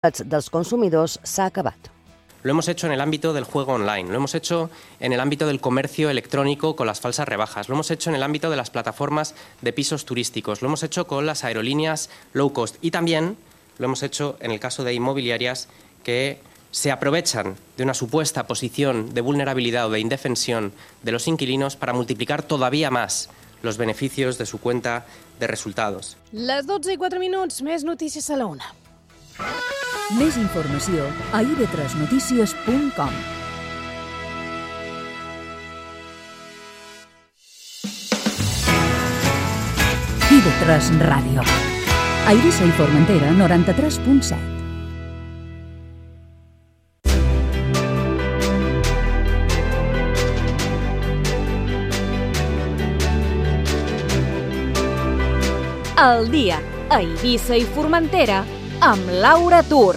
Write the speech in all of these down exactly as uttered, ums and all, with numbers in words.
dels consumidors s'ha acabat. Lo hemos hecho en el ámbito del juego online, lo hemos hecho en el ámbito del comercio electrónico con las falsas rebajas, lo hemos hecho en el ámbito de las plataformas de pisos turísticos, lo hemos hecho con las aerolíneas low cost y también lo hemos hecho en el caso de inmobiliarias que se aprovechan de una supuesta posición de vulnerabilidad o de indefensión de los inquilinos para multiplicar todavía más los beneficios de su cuenta de resultados. Les dotze i quatre minuts, més notícies a la una. Més informació a i ve tres notícies punt com. i ve tres Ràdio. A Eivissa i Formentera, noranta-tres punt set. El dia a Eivissa i Formentera amb Laura Tur.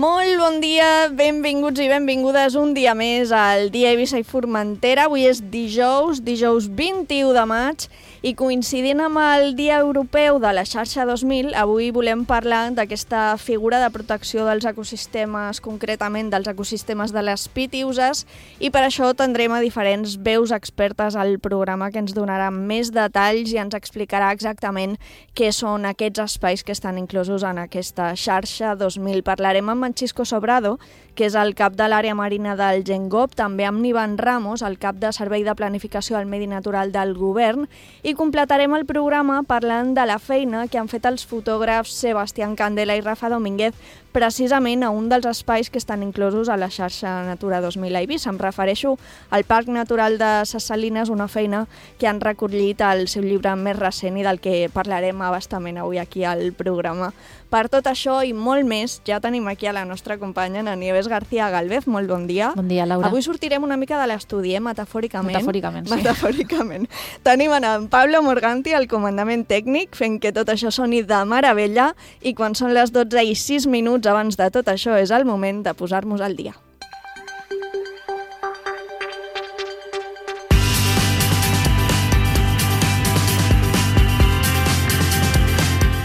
Molt bon dia, benvinguts i benvingudes un dia més al dia Eivissa i Formentera. Avui és dijous, dijous vint-i-u de maig, i coincidint amb el Dia Europeu de la Xarxa dos mil, avui volem parlar d'aquesta figura de protecció dels ecosistemes, concretament dels ecosistemes de les pitiüses, i per això tindrem a diferents veus expertes al programa que ens donarà més detalls i ens explicarà exactament què són aquests espais que estan inclosos en aquesta Xarxa dos mil. Parlarem amb en Xisco Sobrado, que és el cap de l'àrea marina del Gengop, també amb Nivan Ramos, el cap de Servei de Planificació al Medi Natural del Govern, i completarem el programa parlant de la feina que han fet els fotògrafs Sebastián Candela i Rafa Domínguez precisament a un dels espais que estan inclosos a la xarxa Natura dos mil a Eivissa. Em refereixo al Parc Natural de Ses Salines, una feina que han recollit al seu llibre més recent i del que parlarem a bastament avui aquí al programa. Per tot això i molt més, ja tenim aquí a la nostra companya, na Nieves García Galvez. Molt bon dia. Bon dia, Laura. Avui sortirem una mica de l'estudi, eh? Metafòricament. Metafòricament, sí. Metafòricament. Tenim en Pablo Morganti, el comandament tècnic, fent que tot això soni de meravella, i quan són les dotze i sis minuts abans de tot això és el moment de posar-nos al dia.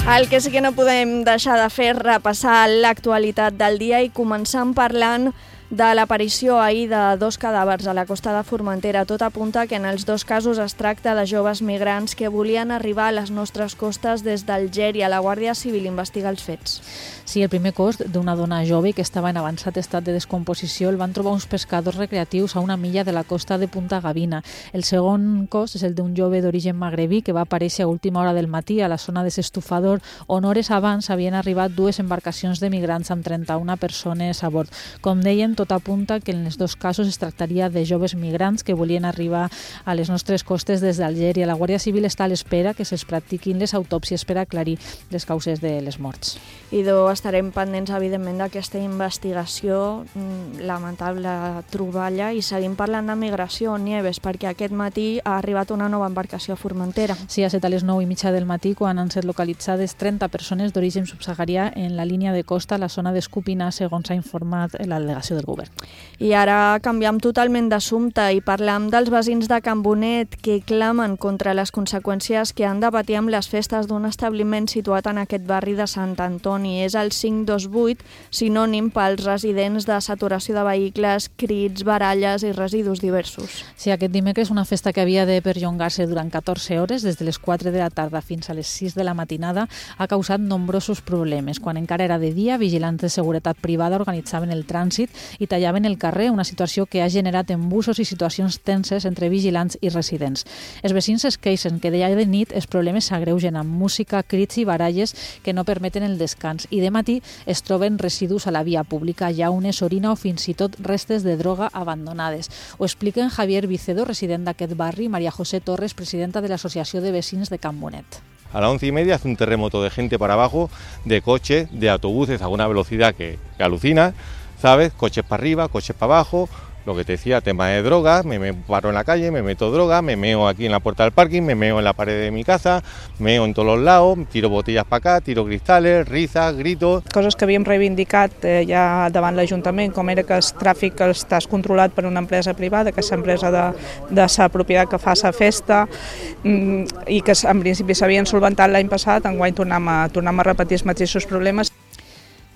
El que sí que no podem deixar de fer és repassar l'actualitat del dia i començant parlant de l'aparició ahir de dos cadàvers a la costa de Formentera. Tot apunta que en els dos casos es tracta de joves migrants que volien arribar a les nostres costes des d'Algèria. La Guàrdia Civil investiga els fets. Sí, el primer cos d'una dona jove que estava en avançat estat de descomposició el van trobar uns pescadors recreatius a una milla de la costa de Punta Gavina. El segon cos és el d'un jove d'origen magrebí que va aparèixer a última hora del matí a la zona de s'Estufador, on hores abans havien arribat dues embarcacions de migrants amb trenta-una persones a bord. Com deien, tot apunta que en els dos casos es tractaria de joves migrants que volien arribar a les nostres costes des d'Algèria. La Guàrdia Civil està a l'espera que se'ls practiquin les autòpsies per aclarir les causes de les morts. Idò, estarem pendents, evidentment, d'aquesta investigació, lamentable troballa, i seguim parlant de migració, Nieves, perquè aquest matí ha arribat una nova embarcació a Formentera. Sí, ha set a les nou i mitja del matí quan han set localitzades trenta persones d'origen subsaharià en la línia de costa a la zona d'Escupina, segons ha informat la delegació del govern. I ara canviem totalment d'assumpte i parlam dels veïns de Can Bonet que clamen contra les conseqüències que han de patir amb les festes d'un establiment situat en aquest barri de Sant Antoni. És el cinc dos vuit, sinònim pels residents de saturació de vehicles, crits, baralles i residus diversos. Sí, aquest dimecres una festa que havia de perllongar-se durant catorze hores, des de les quatre de la tarda fins a les sis de la matinada, ha causat nombrosos problemes. Quan encara era de dia, vigilants de seguretat privada organitzaven el trànsit i tallaven el carrer, una situació que ha generat embussos i situacions tenses entre vigilants i residents. Els veïns es queixen que de de nit els problemes s'agreugen amb música, crits i baralles que no permeten el descans, i de matí es troben residus a la via pública, llaunes, orina o fins i tot restes de droga abandonades. Ho expliquen Javier Vicedo, resident d'aquest barri, i María José Torres, presidenta de l'Associació de Vecins de Can Bonet. A las once y media hace un terremoto de gente para abajo, de coches, de autobuses a una velocidad que, que alucina, ¿sabes? Coches para arriba, coches para abajo, lo que te decía, tema de drogas, me, me paro en la calle, me meto droga, me meo aquí en la puerta del parking, me meo en la pared de mi casa, meo en todos los lados, tiro botellas para acá, tiro cristales, risas, gritos... Coses que havíem reivindicat eh, ja davant l'Ajuntament, com era que el tràfic està controlat per una empresa privada, que és l'empresa de, de sa propietat que fa sa festa, mm, i que en principi s'havien solventat l'any passat, enguany tornem a, tornem a repetir els mateixos problemes.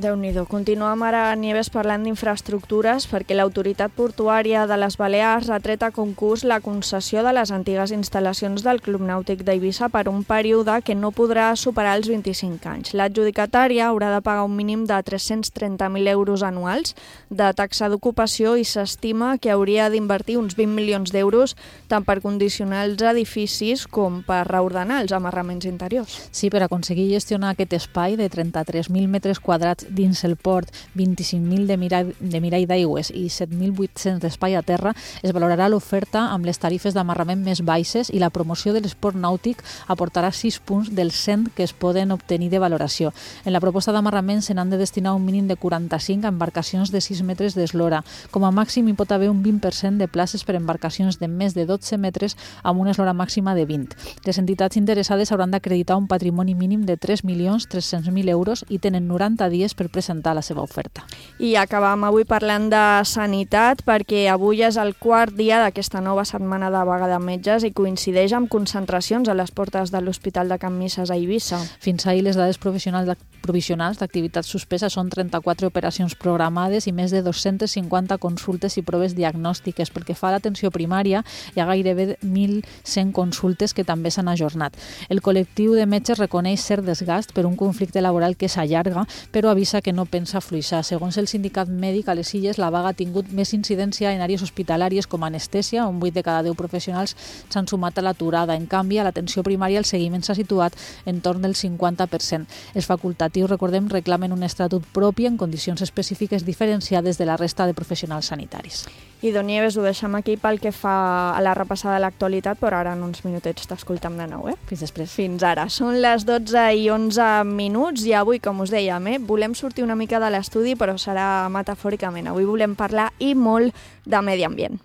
Déu-n'hi-do. Continuem ara, Nieves, parlant d'infraestructures perquè l'Autoritat Portuària de les Balears ha tret a concurs la concessió de les antigues instal·lacions del Club Nàutic d'Eivissa per un període que no podrà superar els vint-i-cinc anys. L'adjudicatària haurà de pagar un mínim de tres-cents trenta mil euros anuals de taxa d'ocupació i s'estima que hauria d'invertir uns vint milions d'euros tant per condicionar els edificis com per reordenar els amarraments interiors. Sí, per aconseguir gestionar aquest espai de trenta-tres mil metres quadrats dins el port, vint-i-cinc mil de mirall, de mirall d'aigües i set mil vuit-cents d'espai a terra, es valorarà l'oferta amb les tarifes d'amarrament més baixes i la promoció de l'esport nàutic aportarà sis punts dels cent que es poden obtenir de valoració. En la proposta d'amarrament se n'han de destinar un mínim de quaranta-cinc a embarcacions de sis metres d'eslora. Com a màxim hi pot haver un vint per cent de places per embarcacions de més de dotze metres amb una eslora màxima de vint. Les entitats interessades hauran d'acreditar un patrimoni mínim de tres milions tres-cents mil euros i tenen noranta dies per presentar la seva oferta. I acabam avui parlant de sanitat perquè avui és el quart dia d'aquesta nova setmana de vaga de metges i coincideix amb concentracions a les portes de l'Hospital de Can Misses a Eivissa. Fins ahir les dades provisionals provisionals d'activitat suspesa són trenta-quatre operacions programades i més de dos-centes cinquanta consultes i proves diagnòstiques. Pel que fa a l'atenció primària, hi ha gairebé mil cent consultes que també s'han ajornat. El col·lectiu de metges reconeix cert desgast per un conflicte laboral que s'allarga, però avisa que no pensa fluixar. Segons el sindicat mèdic, a les Illes la vaga ha tingut més incidència en àrees hospitalàries com anestèsia, on vuit de cada deu professionals s'han sumat a l'aturada. En canvi, a l'atenció primària el seguiment s'ha situat en torn del cinquanta per cent. Els facultatius, recordem, reclamen un estatut propi en condicions específiques diferenciades de la resta de professionals sanitaris. I Don Nieves, ho deixem aquí pel que fa a la repassada de l'actualitat, però ara en uns minutets t'escoltem de nou, eh? Fins després. Fins ara. Són les dotze i onze minuts i avui, com us dèiem, eh, volem sortir una mica de l'estudi, però serà metafòricament. Avui volem parlar i molt de medi ambient.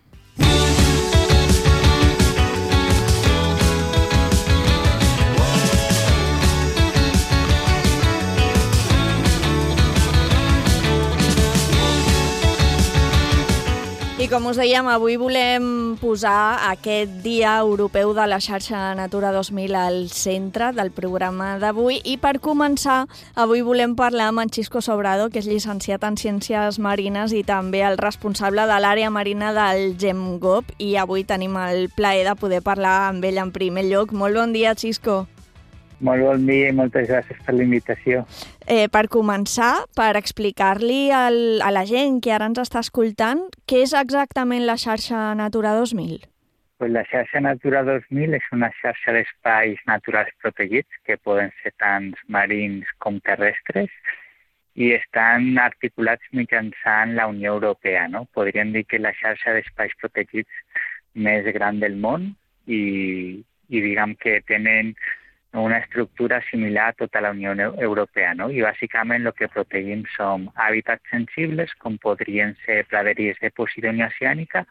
I com us dèiem, avui volem posar aquest Dia Europeu de la Xarxa Natura dos mil al centre del programa d'avui i per començar, avui volem parlar amb en Xisco Sobrado, que és llicenciat en Ciències Marines i també el responsable de l'àrea marina del GEMGOP, i avui tenim el plaer de poder parlar amb ell en primer lloc. Molt bon dia, Xisco. Molt bon dia i moltes gràcies per la invitació. Eh, per començar, per explicar-li al, a la gent que ara ens està escoltant, què és exactament la xarxa Natura dos mil? Pues la xarxa Natura dos mil és una xarxa d'espais naturals protegits que poden ser tant marins com terrestres i estan articulats mitjançant la Unió Europea, no? Podríem dir que la xarxa d'espais protegits més gran del món i, i diguem que tenen una estructura similar a tota la Unió Europea, no? I bàsicament el que protegim són hàbitats sensibles, com podrien ser praderies de Posidonia oceànica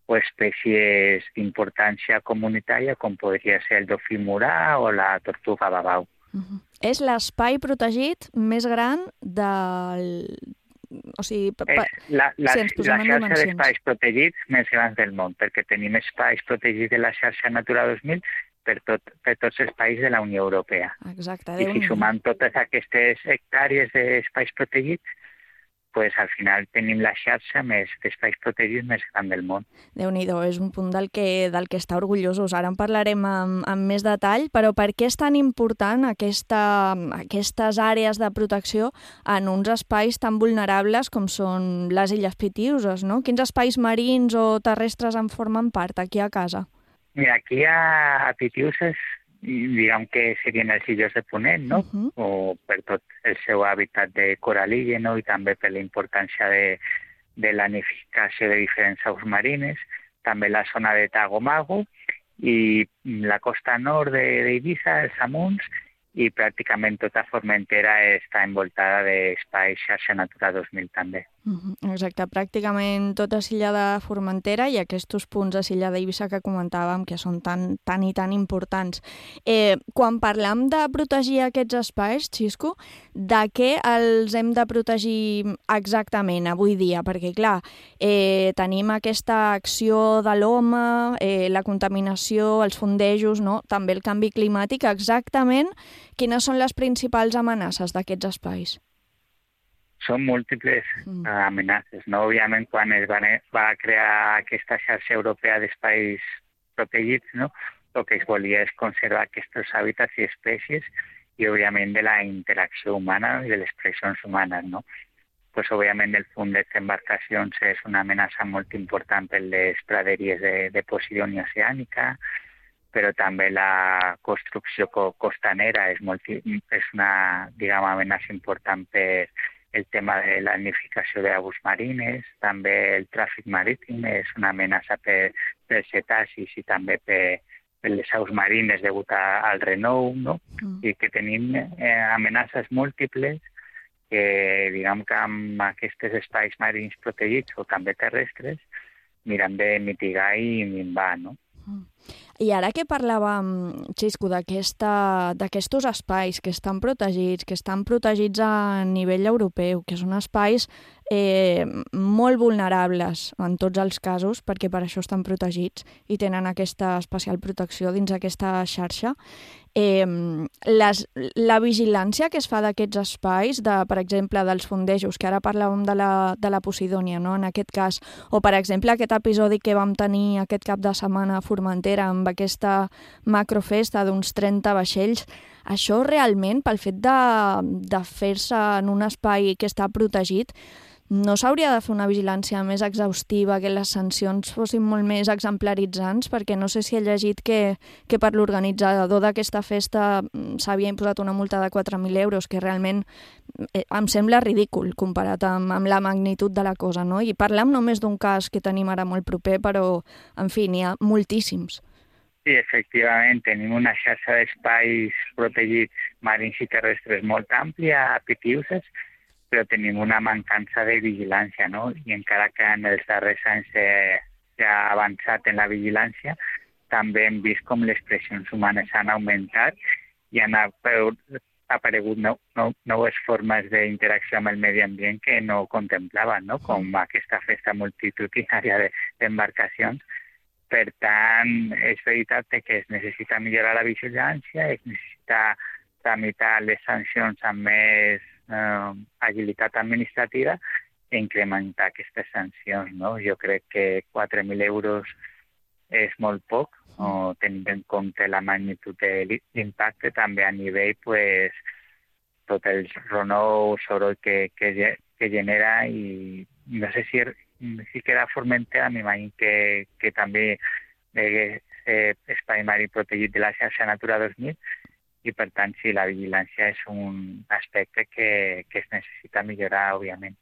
o espècies d'importància comunitària, com podria ser el dofí murà o la tortuga babau. Uh-huh. És l'espai protegit més gran del... O sigui, pa... és la, la, si la xarxa d'espais protegits més grans del món, perquè tenim espais protegits de la xarxa Natura dos mil per, tot, per tots els països de la Unió Europea. Exacte. I si sumant totes aquestes hectàrees d'espais protegits, pues, al final tenim la xarxa més d'espais protegits més gran del món. Déu-n'hi-do, és un punt del que, del que està orgullosos. Ara en parlarem amb, amb més detall, però per què és tan important aquesta, aquestes àrees de protecció en uns espais tan vulnerables com són les Illes Pitiüses, no? Quins espais marins o terrestres en formen part aquí a casa? Mira, aquí a, a Pitiüses, diguem que serien els illes de Ponent, no? Uh-huh. O per tot el seu hàbitat de corall·illa, no? I també per la importància de, de la nidificació de diferents aus marines, també la zona de Tagomago i la costa nord d'Eivissa, els Amunts, i pràcticament tota Formentera està envoltada d'espais xarxa Natura dos mil també. Exacte, pràcticament tota l'illa de Formentera i aquests punts de l'illa d'Eivissa que comentàvem que són tan, tan i tan importants. Eh, quan parlam de protegir aquests espais, Xisco, de què els hem de protegir exactament avui dia? Perquè, clar, eh, tenim aquesta acció de l'home, eh, la contaminació, els fondejos, no? També el canvi climàtic. Exactament quines són les principals amenaces d'aquests espais? Són múltiples mm. amenaces, no? Òbviament, quan es va, va crear aquesta xarxa europea d'espais protegits, no? El que es volia és conservar aquests hàbitats i espècies i, òbviament, de la interacció humana i de les pressions humanes, no? Pues, òbviament, el fundeig d'embarcacions és una amenaça molt important per les praderies de, de Posidònia oceànica, però també la construcció costanera és, molt, és una, diguem, amenaça important per el tema de la nidificació d'aigües marines, també el tràfic marítim és una amenaça per, per cetacis i també per, per les aus marines degut a, al renou, no? Mm. I que tenim eh, amenaces múltiples que, diguem que amb aquests espais marins protegits o també terrestres miren de mitigar i minvar, no? Mm. I ara que parlàvem, Xisco, d'aquests espais que estan protegits, que estan protegits a nivell europeu, que són espais eh, molt vulnerables en tots els casos, perquè per això estan protegits i tenen aquesta especial protecció dins aquesta xarxa, eh, les, la vigilància que es fa d'aquests espais, de, per exemple, dels fondejos, que ara parlàvem de la, de la Posidònia, no? En aquest cas, o per exemple aquest episodi que vam tenir aquest cap de setmana a Formentera amb aquesta macrofesta d'uns trenta vaixells, això realment, pel fet de, de fer-se en un espai que està protegit, no s'hauria de fer una vigilància més exhaustiva, que les sancions fossin molt més exemplaritzants, perquè no sé si he llegit que, que per l'organitzador d'aquesta festa s'havia imposat una multa de quatre mil euros, que realment eh, em sembla ridícul comparat amb, amb la magnitud de la cosa, no? I parlem només d'un cas que tenim ara molt proper, però, en fi, n'hi ha moltíssims. Sí, efectivament, tenim una xarxa d'espais protegits marins i terrestres molt àmplia a Pitiuses, però tenim una mancança de vigilància, no? I encara que en els darrers anys s'ha avançat en la vigilància, també hem vist com les pressions humanes han augmentat i han aparegut nou, nou, noves formes d'interacció amb el medi ambient que no contemplaven, no? Com aquesta festa multitudinària d'embarcacions. Per tant, és veritat que es necessita millorar la vigilància, es necessita tramitar les sancions amb més eh, agilitat administrativa i incrementar aquestes sancions, no? Jo crec que quatre mil euros és molt poc, o tenint en compte la magnitud de l'impacte, també a nivell, pues, tot el renou, soroll que, que, que genera, i no sé si, si queda Formentera, m'imagino que, que també és eh, espai marí protegit de la xarxa Natura dos mil, i per tant, sí, la vigilància és un aspecte que, que es necessita millorar, òbviament.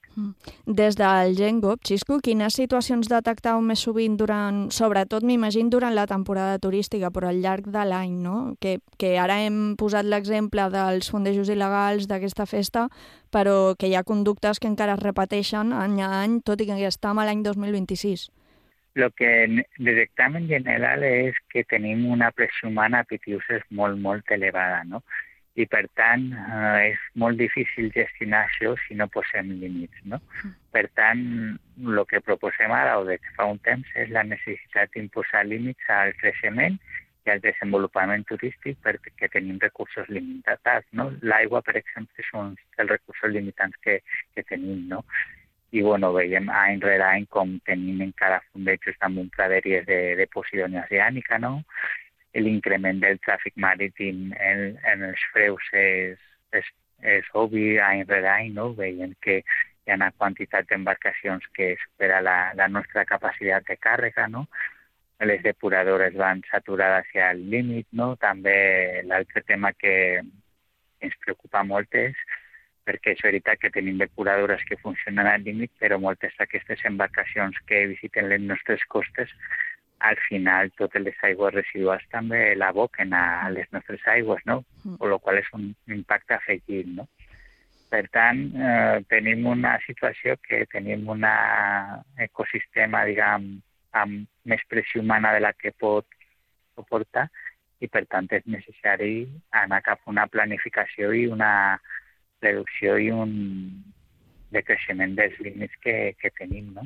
Des del GenGov, Xisco, quines situacions detectau més sovint durant, sobretot m'imagino durant la temporada turística, però al llarg de l'any, no? Que, que ara hem posat l'exemple dels fondejos il·legals d'aquesta festa, però que hi ha conductes que encara es repeteixen any a any, tot i que estem a l'any dos mil vint-i-sis. El que detectem en general és que tenim una pressió humana a Pitiuses molt, molt elevada, no? I per tant eh, és molt difícil gestionar això si no posem límits, no? Per tant, el que proposem ara o des de fa un temps és la necessitat d'imposar límits al creixement i al desenvolupament turístic perquè tenim recursos limitats, no? L'aigua, per exemple, és un dels recursos limitants que, que tenim, no? I bueno, veiem any rere any com tenim encara fondejos amb praderies de, de Posidònia oceànica, no? L'increment del tràfic marítim en, en els freus és, és, és obvi any rere any, no? Veiem que hi ha una quantitat d'embarcacions que supera la, la nostra capacitat de càrrega, no? Les depuradores van saturades hacia el límit, no? També l'altre tema que ens preocupa molt és perquè és veritat que tenim depuradores que funcionen al límit, però moltes d'aquestes embarcacions que visiten les nostres costes, al final totes les aigües residuals també l'aboquen a les nostres aigües, no? Mm. Con lo qual és un impacte afegit, no? Per tant, eh, tenim una situació que tenim un ecosistema, diguem, amb més pressió humana de la que pot suportar i, per tant, és necessari anar cap a una planificació i una reducció i un decreixement dels límits que, que tenim, no?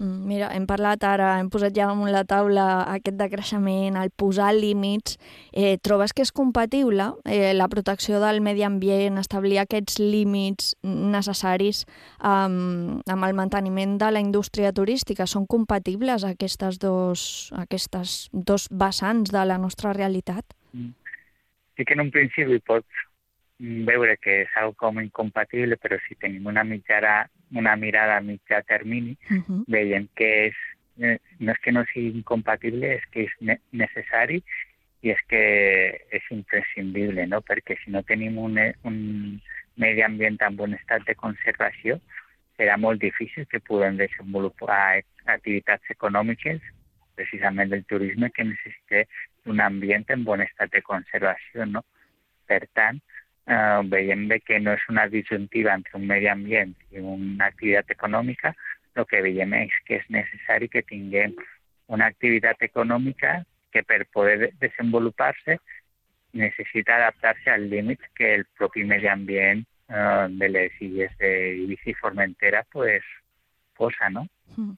Mira, hem parlat ara, hem posat ja damunt la taula aquest decreixement, el posar límits. Eh, trobes que és compatible eh, la protecció del medi ambient, establir aquests límits necessaris um, amb el manteniment de la indústria turística? Són compatibles aquestes dos, aquestes dos vessants de la nostra realitat? Sí que en un principi pots veure que és algo com incompatible, però si tenim una mitjana una mirada a mitjà termini, uh-huh. veiem que és, no és que no sigui incompatible, és que és ne- necessari i és que és imprescindible, no? Perquè si no tenim un, un medi ambient en bon estat de conservació, serà molt difícil que puguem desenvolupar activitats econòmiques, precisament del turisme, que necessita un ambient en bon estat de conservació, no? Per tant, Uh, veiem bé que no és una disjuntiva entre un medi ambient i una activitat econòmica. El que veiem és que és necessari que tinguem una activitat econòmica que per poder desenvolupar-se necessita adaptar-se als límits que el propi medi ambient uh, de les illes d'Eivissa i Formentera pues, posa, no? Mm.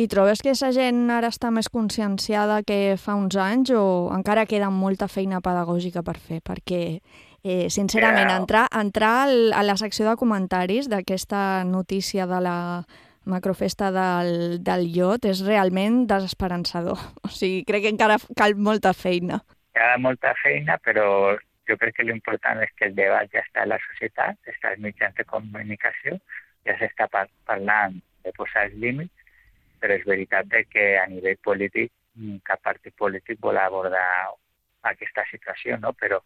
I trobes que aquesta gent ara està més conscienciada que fa uns anys o encara queda molta feina pedagògica per fer? Perquè, eh, sincerament, entrar, entrar a la secció de comentaris d'aquesta notícia de la macrofesta del, del iot és realment desesperançador. O sigui, crec que encara cal molta feina. Hi ha molta feina, però jo crec que l'important és que el debat ja està a la societat, està als mitjans de comunicació, ja s'està par- parlant de posar els límits, però és veritat que a nivell polític cap partit polític vol abordar aquesta situació, no? Però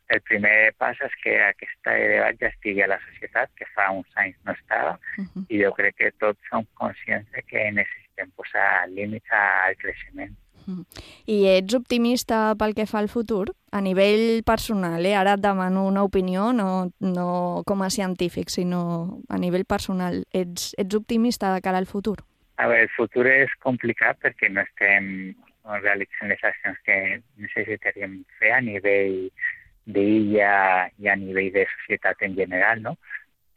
el primer pas és que aquest debat ja estigui a la societat, que fa uns anys no estava, uh-huh. i jo crec que tots som conscients que necessitem posar límits al creixement. Uh-huh. I ets optimista pel que fa al futur? A nivell personal, eh? Ara et demano una opinió, no, no com a científic, sinó a nivell personal. Ets, ets optimista de cara al futur? A veure, el futur és complicat perquè no estem realitzant les accions que necessitaríem fer a nivell d'illa i a nivell de societat en general, no?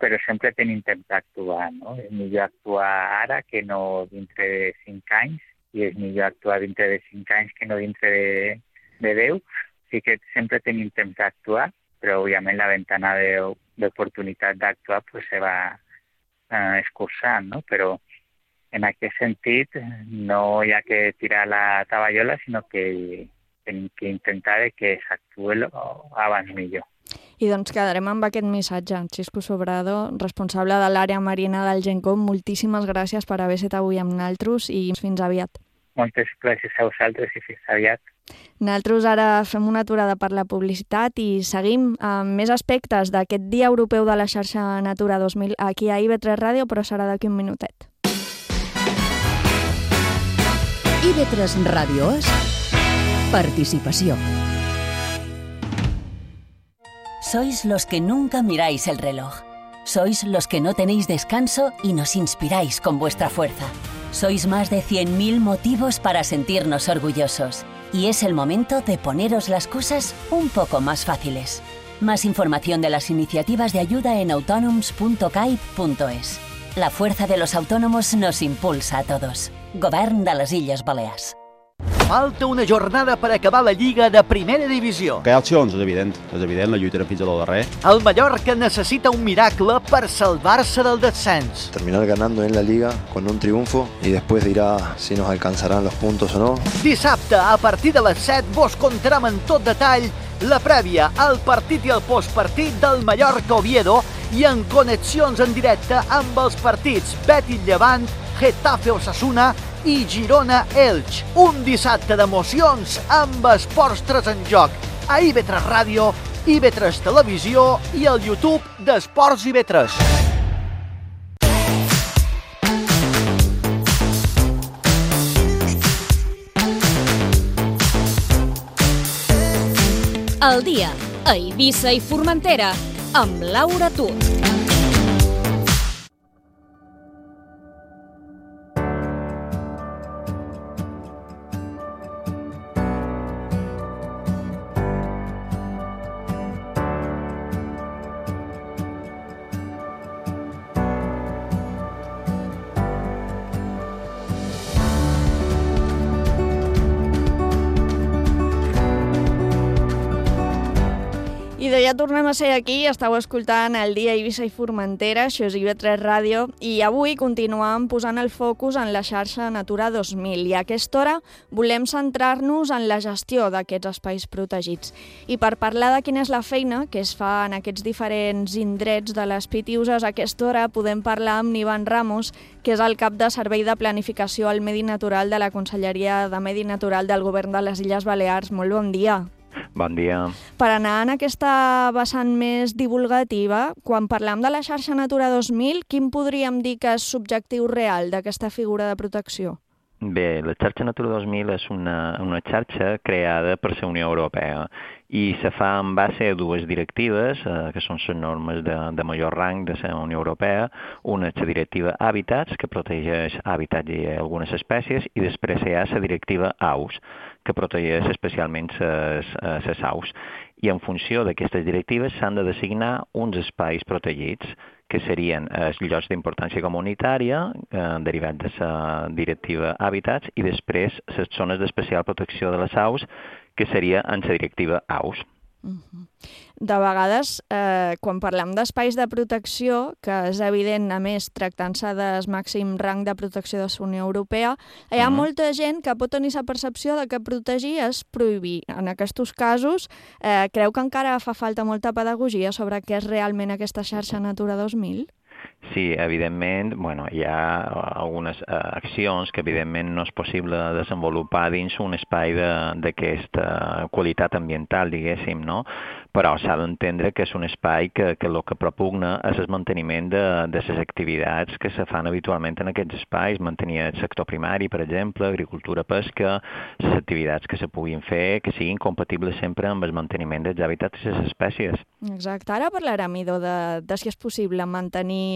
Però sempre tenim temps d'actuar, no? És millor actuar ara que no dintre de cinc anys i és millor actuar dintre de cinc anys que no dintre de, de deu. Sí que sempre tenim temps d'actuar, però òbviament la ventana d'oportunitat d'actuar pues, se va eh, escurçant, no? Però en aquest sentit, no hi ha que tirar la taballola, sinó que hem que intentar que s'actuï abans millor. I doncs quedarem amb aquest missatge. Xisco Sobrado, responsable de l'àrea marina del Gencom, moltíssimes gràcies per haver estat avui amb nosaltres i fins aviat. Moltes gràcies a vosaltres i fins aviat. Nosaltres ara fem una aturada per la publicitat i seguim amb més aspectes d'aquest Dia Europeu de la Xarxa Natura dos mil aquí a I V tres Ràdio, però serà d'aquí un minutet. I V tres Ràdio és participació. Sois los que nunca miráis el reloj. Sois los que no tenéis descanso y nos inspiráis con vuestra fuerza. Sois más de cien mil motivos para sentirnos orgullosos. Y es el momento de poneros las cosas un poco más fáciles. Más información de las iniciativas de ayuda en autonoms punto caib punto es. La fuerza de los autónomos nos impulsa a todos. Govern de les Illes Balears. Falta una jornada per acabar la Lliga de Primera Divisió. Que hi ha opcions, és evident. És evident, la lluitarem fins a lo darrer. El Mallorca necessita un miracle per salvar-se del descens. Terminar ganando en la Liga con un triunfo y después dirá si nos alcanzarán los puntos o no. Dissabte, a partir de les set, vos contarem en tot detall la prèvia, el partit i el postpartit del Mallorca-Oviedo i en connexions en directe amb els partits Betis-Llevant, Getafe-Osasuna i Girona-Elx. Un dissabte d'emocions amb esports tres en joc a I V tres Ràdio, I V tres Televisió i al YouTube d'Esports I V tres. El dia a Eivissa i Formentera amb Laura Tur. I de ja tornem a ser aquí, estàu escoltant el dia Eivissa i Formentera, això és I V tres Ràdio, i avui continuem posant el focus en la xarxa Natura dos mil, i a aquesta hora volem centrar-nos en la gestió d'aquests espais protegits. I per parlar de quina és la feina que es fa en aquests diferents indrets de les Pitiuses, a aquesta hora podem parlar amb Ivan Ramos, que és el cap de Servei de Planificació al Medi Natural de la Conselleria de Medi Natural del Govern de les Illes Balears. Molt bon dia. Bon dia. Per anar en aquesta vessant més divulgativa, quan parlam de la xarxa Natura dos mil, quin podríem dir que és l'objectiu real d'aquesta figura de protecció? Bé, la xarxa Natura dos mil és una, una xarxa creada per la Unió Europea i se fa en base a dues directives, eh, que són les normes de, de major rang de la Unió Europea. Una és la directiva Hàbitats, que protegeix hàbitats i algunes espècies, i després hi ha la directiva Aus, que protegeix especialment les aus. I en funció d'aquestes directives s'han de designar uns espais protegits, que serien els llocs d'importància comunitària, eh, derivats de la directiva Hàbitats, i després les zones d'especial protecció de les aus, que seria en la directiva Aus. Uh-huh. De vegades, eh, quan parlem d'espais de protecció, que és evident, a més, tractant-se del màxim rang de protecció de la Unió Europea, hi ha uh-huh. molta gent que pot tenir la percepció de que protegir és prohibir. En aquests casos, eh, creu que encara fa falta molta pedagogia sobre què és realment aquesta xarxa Natura dos mil? Sí, evidentment, bueno, hi ha algunes uh, accions que evidentment no és possible desenvolupar dins un espai d'aquesta qualitat ambiental, diguéssim, no? Però s'ha d'entendre que és un espai que, que el que propugna és el manteniment de, de les activitats que se fan habitualment en aquests espais, mantenir el sector primari, per exemple, agricultura, pesca, les activitats que se puguin fer, que siguin compatibles sempre amb el manteniment dels hàbitats i les espècies. Exacte. Ara parlarem, Ido, de, de si és possible mantenir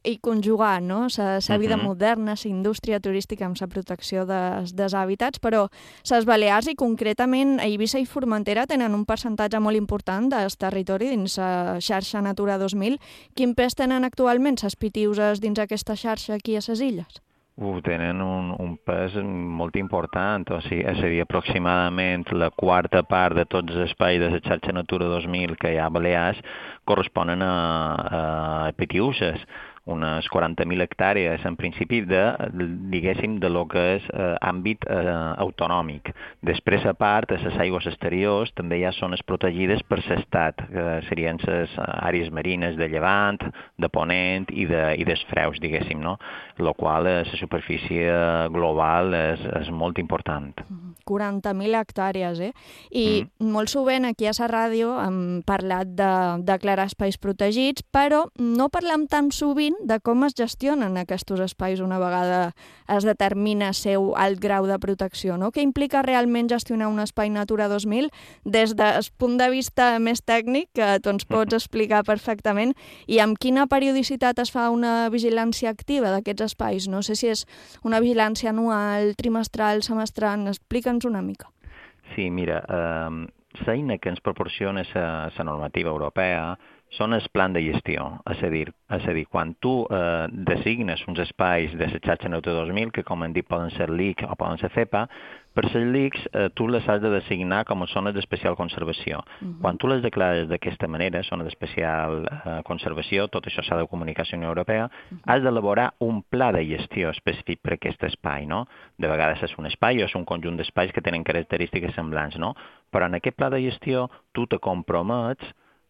i conjugar, no?, la vida uh-huh. moderna, la indústria turística amb la protecció dels, dels hàbitats, però les Balears i concretament a Eivissa i Formentera tenen un percentatge molt important del territori dins la xarxa Natura dos mil. Quin pes tenen actualment les Pitiuses dins aquesta xarxa aquí a les illes? Uh, tenen un, un pes molt important, o sigui, és a dir, aproximadament la quarta part de tots els espais de la xarxa Natura dos mil que hi ha a Balears corresponen a, a Pitiuses, unes quaranta mil hectàrees, en principi, de, diguéssim, de lo que és eh, àmbit eh, autonòmic. Després, a part, a les aigües exteriors també hi ha zones protegides per l'Estat, que serien les àrees marines de llevant, de ponent i de, i dels freus, diguéssim, no? La qual la superfície global és, és molt important. quaranta mil hectàrees, eh? I mm. molt sovint aquí a la ràdio hem parlat de declarar espais protegits, però no parlem tan sovint de com es gestionen aquests espais una vegada es determina seu alt grau de protecció, no? Què implica realment gestionar un espai Natura dos mil des del punt de vista més tècnic, que tu ens pots explicar perfectament, i amb quina periodicitat es fa una vigilància activa d'aquests espais? No sé si és una vigilància anual, trimestral, semestral, explica'ns una mica. Sí, mira, eh, l'eina que ens proporciona la normativa europea són els plans de gestió, és a dir, és a dir quan tu eh, designes uns espais de la xarxa Natura dos mil, que com hem dit poden ser L I C o poden ser C E P A, per les L I Cs eh, tu les has de designar com a zones d'especial conservació. Uh-huh. Quan tu les declares d'aquesta manera, zones d'especial eh, conservació, tot això s'ha de comunicar a la Unió Europea, uh-huh. has d'elaborar un pla de gestió específic per a aquest espai, no? De vegades és un espai o és un conjunt d'espais que tenen característiques semblants, no? Però en aquest pla de gestió tu te compromets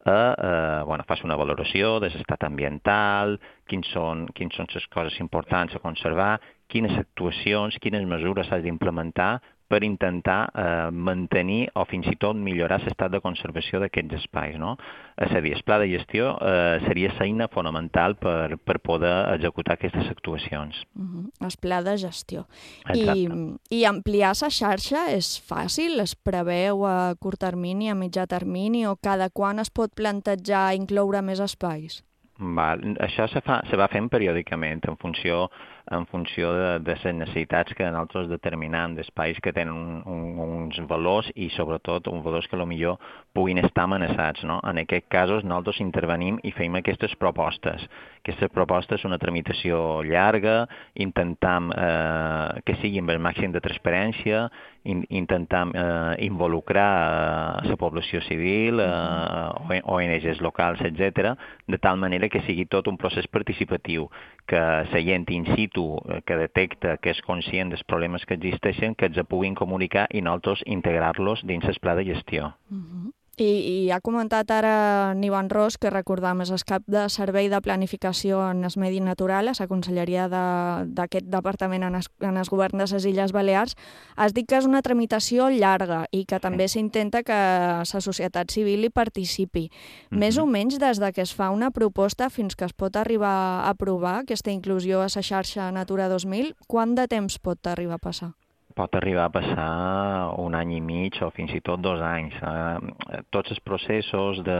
a, eh, bueno, fas una valoració de l'estat ambiental, quins són, quins són les coses importants a conservar, quines actuacions, quines mesures has d'implementar per intentar eh, mantenir o fins i tot millorar l'estat de conservació d'aquests espais, no? És a dir, el pla de gestió eh, seria l'eina fonamental per, per poder executar aquestes actuacions. Uh-huh. El pla de gestió. I, I ampliar la xarxa és fàcil? Es preveu a curt termini, a mitjà termini, o cada quan es pot plantejar incloure més espais? Val. Això se, fa, se va fent periòdicament en funció en funció de, de les necessitats que nosaltres determinem, d'espais que tenen un, uns valors i sobretot uns valors que potser puguin estar amenaçats. No? En aquests casos nosaltres intervenim i fem aquestes propostes. Aquestes propostes són una tramitació llarga, intentem eh, que sigui amb el màxim de transparència, in, intentem eh, involucrar eh, la població civil, eh, O N Ges locals, etcètera, de tal manera que sigui tot un procés participatiu, que la gent in situ, que detecta, que és conscient dels problemes que existeixen, que ens puguin comunicar i nosaltres integrar-los dins el pla de gestió. Uh-huh. I, I ha comentat ara Ivan Ros, que recordam és el cap de Servei de Planificació en el Medi Natural, a la Conselleria d'aquest departament en el, en el govern de les Illes Balears. Has dit que és una tramitació llarga i que també s'intenta que la societat civil hi participi. Mm-hmm. Més o menys des de que es fa una proposta fins que es pot arribar a aprovar aquesta inclusió a la xarxa Natura dos mil, quant de temps pot arribar a passar? Pot arribar a passar un any i mig o fins i tot dos anys. Eh, tots els processos de,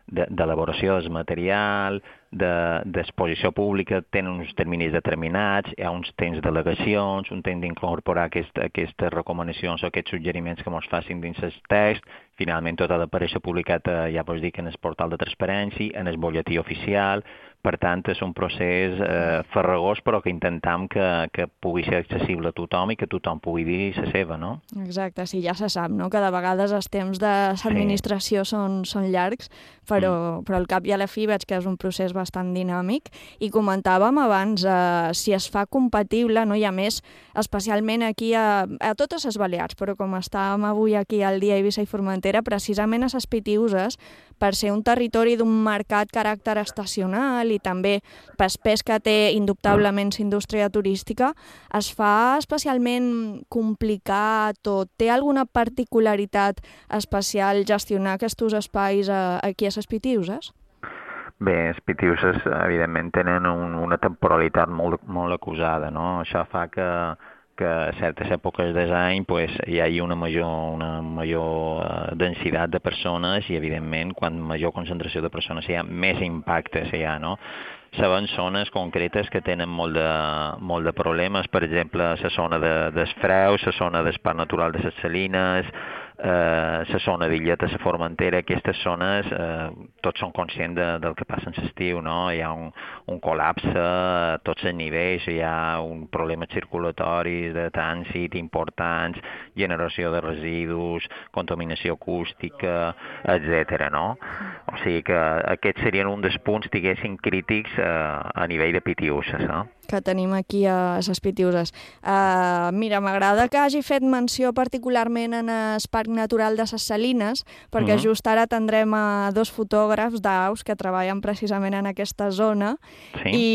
de, d'elaboració del material, d'exposició de, pública, tenen uns terminis determinats, hi ha uns temps d'al·legacions, un temps d'incorporar aquest, aquestes recomanacions o aquests suggeriments que ens facin dins el text. Finalment tot ha d'aparèixer publicat, eh, ja pots dir que en el portal de transparència, en el butlletí oficial. Per tant, és un procés eh, farragós, però que intentem que, que pugui ser accessible a tothom i que tothom pugui dir la seva, no? Exacte, sí, ja se sap, no?, que de vegades els temps de l'administració sí. són, són llargs, però, mm. però al cap i a la fi veig que és un procés bastant dinàmic. I comentàvem abans, eh, si es fa compatible, no?, i a més, especialment aquí a, a totes les Balears, però com estàvem avui aquí al dia Eivissa i Formentera, precisament a les Pitiüses, per ser un territori d'un marcat caràcter estacional i també per pes que té indubtablement la indústria turística, es fa especialment complicat o té alguna particularitat especial gestionar aquests espais aquí a les Pitiüses? Bé, les Pitiüses evidentment tenen un, una temporalitat molt, molt acusada, no? Això fa que que a certes èpoques de l'any pues, hi ha una major, una major uh, densitat de persones i, evidentment, quan major concentració de persones hi ha, més impactes hi ha, no? Sabem zones concretes que tenen molt de, molt de problemes, per exemple, la zona de, dels Freus, la zona del Parc Natural de les Salines, la eh, zona d'Illeta, la Formentera, aquestes zones, eh, tots són conscients de, del que passa en l'estiu, no? Hi ha un, un col·lapse a tots els nivells, hi ha un problema circulatori de trànsit importants, generació de residus, contaminació acústica, etcètera, no? O sigui que aquests serien un dels punts, diguéssim, crítics eh, a nivell de Pitiüses, no? Que tenim aquí a les Pitiüses. Uh, mira, m'agrada que hagi fet menció particularment en el Parc Natural de les Salines, perquè uh-huh. just ara tindrem a dos fotògrafs d'aus que treballen precisament en aquesta zona sí. i,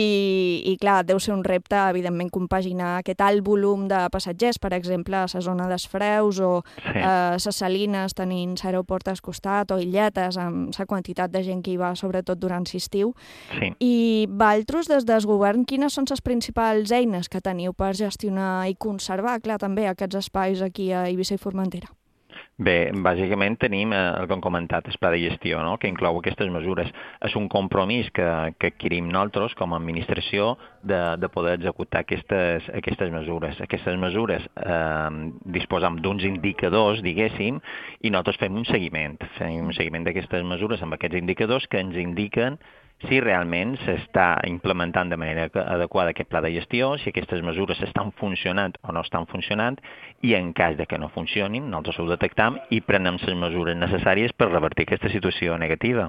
i, clar, deu ser un repte, evidentment, compaginar aquest alt volum de passatgers, per exemple, a la zona dels Freus o sí. a les Salines tenint l'aeroport al costat o illetes amb la quantitat de gent que hi va, sobretot durant l'estiu. Sí. I vosaltres, des del govern, quines són les principals eines que teniu per gestionar i conservar, clar, també aquests espais aquí a Eivissa i Formentera? Bé, bàsicament tenim eh, el que hem comentat, el pla de gestió, no?, que inclou aquestes mesures. És un compromís que, que adquirim nosaltres com a administració de, de poder executar aquestes, aquestes mesures. Aquestes mesures eh, disposam d'uns indicadors, diguéssim, i nosaltres fem un seguiment. Fem un seguiment d'aquestes mesures amb aquests indicadors que ens indiquen si realment s'està implementant de manera adequada aquest pla de gestió, si aquestes mesures estan funcionant o no estan funcionant, i en cas de que no funcionin, nosaltres ho detectam i prenem les mesures necessàries per revertir aquesta situació negativa.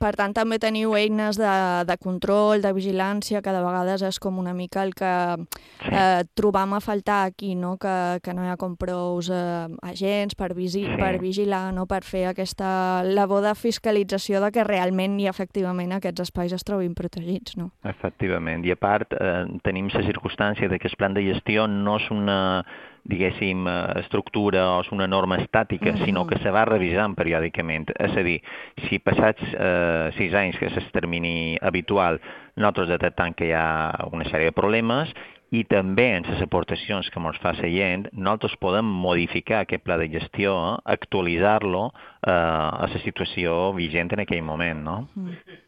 Per tant, també teniu eines de, de control, de vigilància, que de vegades és com una mica el que sí. eh, trobam a faltar aquí, no? que, que no hi ha com prous eh, agents per, visi sí. per vigilar, no? per fer aquesta labor de fiscalització de que realment i efectivament aquests espais es trobin protegits, no? Efectivament. I a part, eh, tenim la circumstància de que el plan de gestió no és una, diguéssim, estructura o és una norma estàtica, uh-huh. sinó que se va revisant periòdicament. És a dir, si passats eh, sis anys, que és el termini habitual, nosaltres detectem que hi ha una sèrie de problemes, i també en les aportacions que ens fa la gent, nosaltres podem modificar aquest pla de gestió, eh, actualitzar-lo eh, a la situació vigent en aquell moment, no? Uh-huh.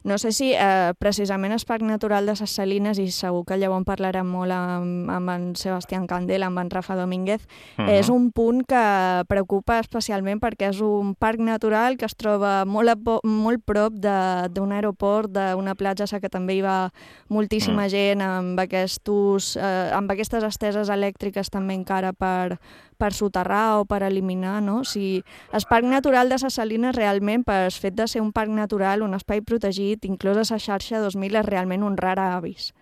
No sé si eh, precisament el Parc Natural de Ses Salines, i segur que llavors en parlarem molt amb, amb en Sebastián Candela, amb en Rafa Domínguez, uh-huh. és un punt que preocupa especialment perquè és un parc natural que es troba molt, a po molt prop d'un aeroport, d'una platja que també hi va moltíssima uh-huh. gent, amb, aquestos, eh, amb aquestes esteses elèctriques també encara per, per soterrar o per eliminar, no? Si el Parc Natural de Ses Salines realment, per el fet de ser un parc natural, un espai protegit, inclús a la xarxa dos mil, és realment un rar avis.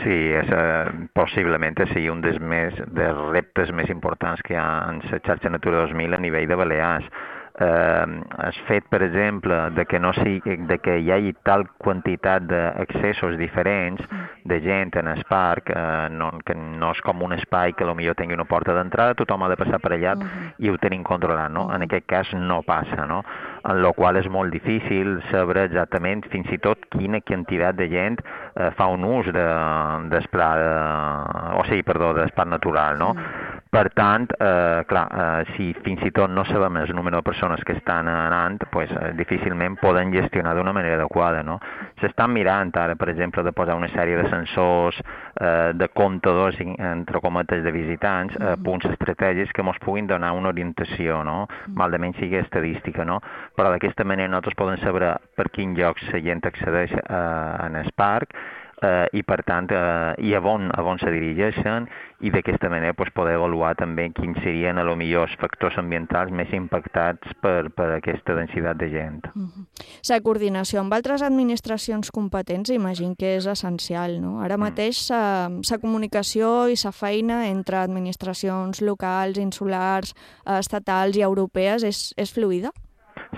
Sí, és, eh, possiblement sigui un dels, més, dels reptes més importants que hi ha en la xarxa Natura dos mil a nivell de Balears. Eh, el fet, per exemple, de que, no sigui, de que hi hagi tal quantitat d'accessos diferents de gent en el parc, eh, no, que no és com un espai que potser tingui una porta d'entrada, tothom ha de passar per allà uh-huh. i ho tenim controlat, no? En aquest cas no passa, no? En la qual és molt difícil saber exactament fins i tot quina quantitat de gent eh, fa un ús de, d'esplar, de, o sigui, perdó, d'esplar natural, no? Uh-huh. Per tant, eh, clar, eh, si fins i tot no sabem el número de persones que estan anant, pues, eh, difícilment poden gestionar d'una manera adequada, no? S'estan mirant ara, per exemple, de posar una sèrie de sensors, eh, de comptadors, entre cometes, de visitants, eh, punts estratègics que ens puguin donar una orientació, no? Malament sigui estadística, no? Però d'aquesta manera nosaltres podem saber per quins llocs la gent accedeix eh, en el parc, eh, i per tant, eh, i a on, a on se dirigeixen, i d'aquesta manera pues, poder avaluar també quins serien a lo millor els factors ambientals més impactats per, per aquesta densitat de gent. Uh-huh. La coordinació amb altres administracions competents imagino que és essencial, no? Ara mateix la comunicació i la feina entre administracions locals, insulars, estatals i europees és, és fluida?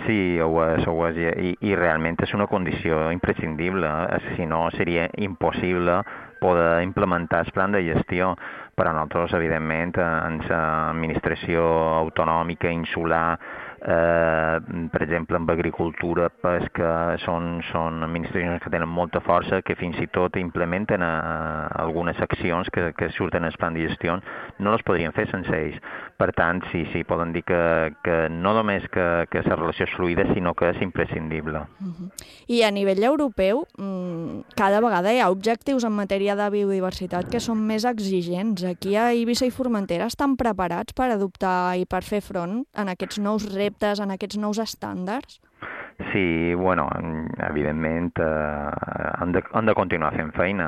Sí, ho és, ho és, i, i realment és una condició imprescindible, si no seria impossible poder implementar el plan de gestió. Per a nosaltres, evidentment, en l'administració autonòmica, insular, eh, per exemple, amb agricultura, pesca, són, són administracions que tenen molta força, que fins i tot implementen eh, algunes accions que, que surten al plan de gestió, no les podrien fer sense ells. Per tant, sí, sí, poden dir que, que no només que, que la relació és fluida, sinó que és imprescindible. Uh-huh. I a nivell europeu, cada vegada hi ha objectius en matèria de biodiversitat que són més exigents. Aquí a Eivissa i Formentera estan preparats per adoptar i per fer front en aquests nous reptes, en aquests nous estàndards? Sí, bueno, evidentment eh, han, de, han de continuar fent feina.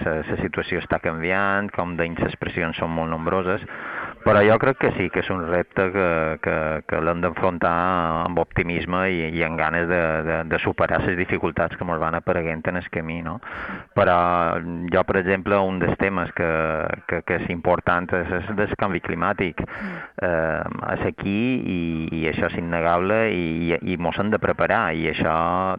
La eh, situació està canviant, com dèiem, les pressions són molt nombroses, però jo crec que sí, que és un repte que, que, que l'hem d'enfrontar amb optimisme i, i amb ganes de, de, de superar les dificultats que ens van apareguent en el camí, no? Però jo, per exemple, un dels temes que, que, que és important és, és el canvi climàtic. Eh, és aquí i, i això és innegable i, i mos hem de preparar, i això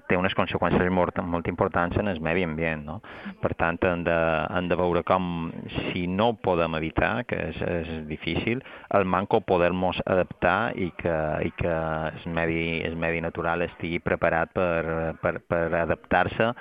té unes conseqüències molt, molt importants en el medi ambient, no? Per tant, hem de, hem de veure com, si no ho podem evitar, que és, és difícil, el manco poder-nos adaptar i que, i que el medi, el medi natural estigui preparat per, per, per adaptar-se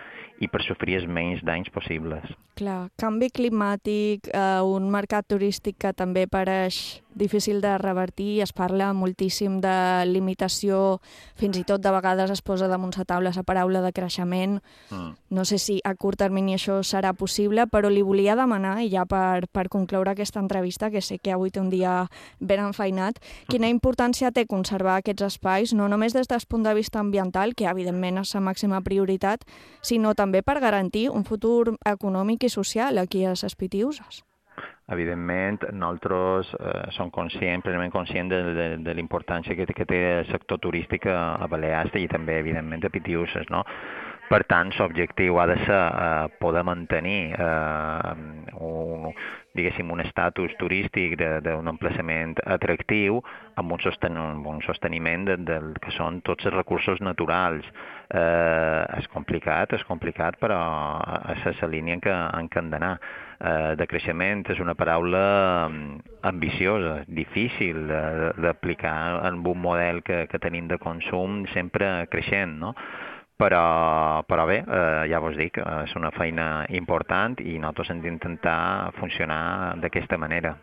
i per sofrir els menys danys possibles. Clar, canvi climàtic, eh, un mercat turístic que també pareix difícil de revertir, es parla moltíssim de limitació, fins i tot de vegades es posa damunt la taula la paraula de creixement. Mm. No sé si a curt termini això serà possible, però li volia demanar, i ja per, per concloure aquesta entrevista, que sé que avui té un dia ben enfeinat, quina importància té conservar aquests espais, no només des del punt de vista ambiental, que evidentment és la màxima prioritat, sinó també per garantir un futur econòmic i social aquí a les Pitiüses. Evidentment, nosaltres eh, som conscients, plenament conscients de, de, de la importància que, que té el sector turístic a, a Balears i també, evidentment, a Pitiüses, no? Per tant, l'objectiu ha de ser eh, poder mantenir eh, un, diguéssim, un estatus turístic d'un emplaçament atractiu amb un, sosten un sosteniment de, del que són tots els recursos naturals. Eh, és complicat, és complicat, però és la línia en què, en què hem d'anar. Eh, de creixement és una paraula ambiciosa, difícil d'aplicar en un model que, que tenim de consum sempre creixent, no? Però, però bé, eh, ja vos dic, eh, és una feina important i nosaltres hem d'intentar funcionar d'aquesta manera.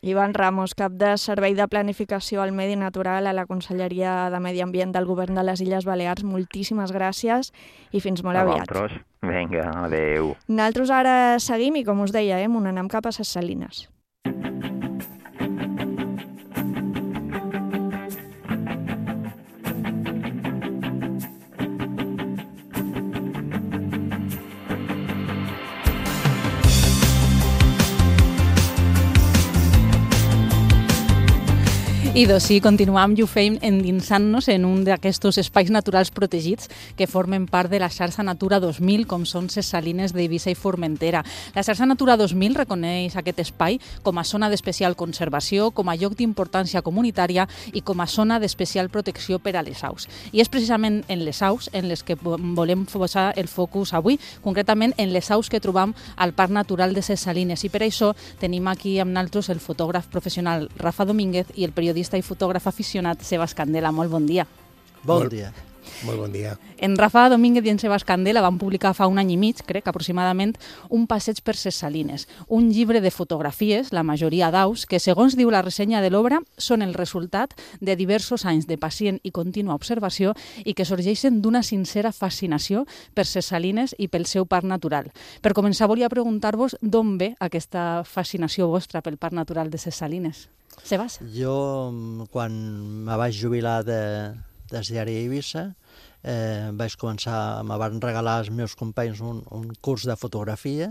Ivan Ramos, cap de Servei de Planificació al Medi Natural a la Conselleria de Medi Ambient del Govern de les Illes Balears, moltíssimes gràcies i fins molt A aviat. vosaltres. Vinga, adeu. Nosaltres ara seguim i, com us deia, eh, anem cap a Ses Salines. I doncs sí, continuam i ho fem endinsant-nos en un d'aquests espais naturals protegits que formen part de la xarxa Natura dos mil, com són Ses Salines d'Eivissa i Formentera. La xarxa Natura dos mil reconeix aquest espai com a zona d'especial conservació, com a lloc d'importància comunitària i com a zona d'especial protecció per a les aus. I és precisament en les aus en les que volem posar el focus avui, concretament en les aus que trobam al Parc Natural de Ses Salines. I per això tenim aquí amb nosaltres el fotògraf professional Rafa Domínguez i el periodista i fotògraf aficionat Sebas Candela. Molt bon dia. Bon dia. Molt bon dia. En Rafa Domínguez i en Sebas Candela van publicar fa un any i mig, crec, aproximadament, un passeig per Ses Salines, un llibre de fotografies, la majoria d'aus, que, segons diu la ressenya de l'obra, són el resultat de diversos anys de pacient i contínua observació i que sorgeixen d'una sincera fascinació per Ses Salines i pel seu parc natural. Per començar, volia preguntar-vos d'on ve aquesta fascinació vostra pel parc natural de Ses Salines. Sebas? Jo, quan me vaig jubilar de, des diari Eivissa, eh, vaig començar, me van regalar els meus companys un, un curs de fotografia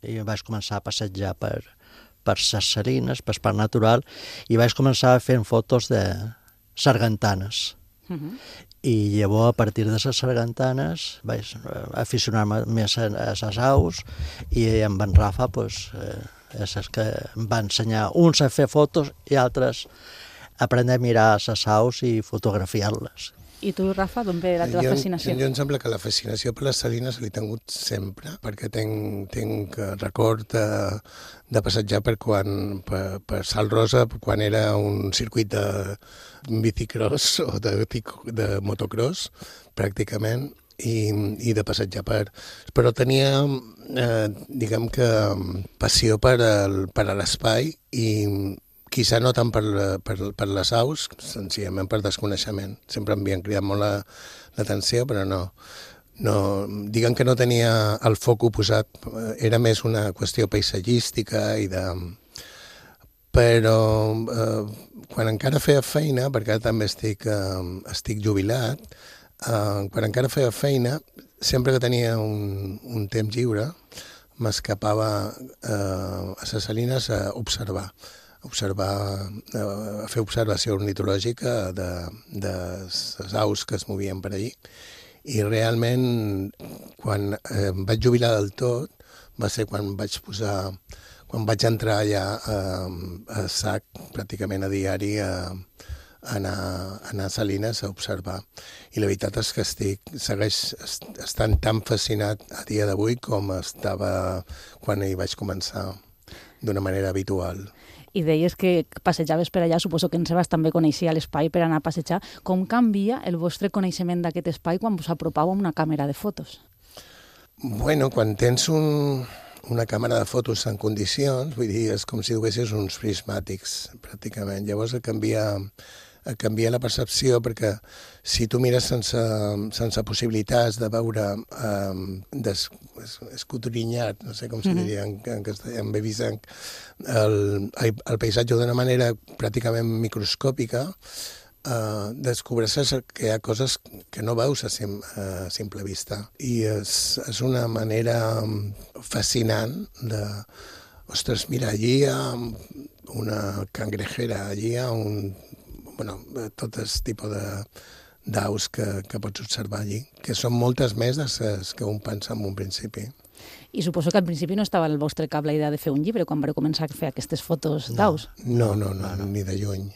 i vaig començar a passejar per, per Ses Salines, per Parc Natural, i vaig començar fent fotos de sargantanes. Uh-huh. I llavors, a partir de les sargantanes, vaig aficionar-me més a les aus i amb en Rafa, doncs, eh, és el que em va ensenyar uns a fer fotos i altres a aprendre a mirar les aus i fotografiar-les. I tu, Rafa, d'on ve la teva jo, fascinació? Jo em sembla que la fascinació per les salines l'he tingut sempre, perquè tinc, tinc record de, de passejar per, quan, per, per Sal Rosa quan era un circuit de bicicross o de, de motocross, pràcticament, i, i de passejar per... Però tenia, eh, diguem que, passió per, el, per a l'espai i quizà no tant per, per, per les aus, senzillament per desconeixement. Sempre em havien cridat molt l'atenció, però no, no. Diguem que no tenia el foc posat, era més una qüestió paisatgística i de... Però eh, quan encara feia feina, perquè també estic, eh, estic jubilat, eh, quan encara feia feina, sempre que tenia un, un temps lliure, m'escapava eh, a Ses Salines a observar. observar, a fer observació ornitològica de, de les aus que es movien per allí. I realment, quan eh, em vaig jubilar del tot, va ser quan vaig posar, quan vaig entrar allà a, a sac, pràcticament a diari, a, a anar, a anar a Salines a observar. I la veritat és que estic, segueix estant tan fascinat a dia d'avui com estava quan hi vaig començar d'una manera habitual. I deies que passejaves per allà, suposo que en Sebas també coneixia l'espai per anar a passejar. Com canvia el vostre coneixement d'aquest espai quan us apropau amb una càmera de fotos? Bueno, quan tens un, una càmera de fotos en condicions, vull dir, és com si duguessis uns prismàtics, pràcticament. Llavors canvia, canvia la percepció, perquè si tu mires sense, sense possibilitats de veure eh, des, escotrinat, no sé com se diria en, en castellà, en bebisenc, el, el paisatge d'una manera pràcticament microscòpica, eh, descobreixes que hi ha coses que no veus a, sim, a simple vista. I és, és una manera fascinant de... Ostres, mira, allí hi ha una cangrejera, allí hi ha un... Bueno, tot aquest tipus de d'aus que, que pots observar allí, que són moltes més des que un pensa en un principi. I suposo que al principi no estava al vostre cap la idea de fer un llibre quan vau començar a fer aquestes fotos d'aus. No, no, no, no, ni de lluny.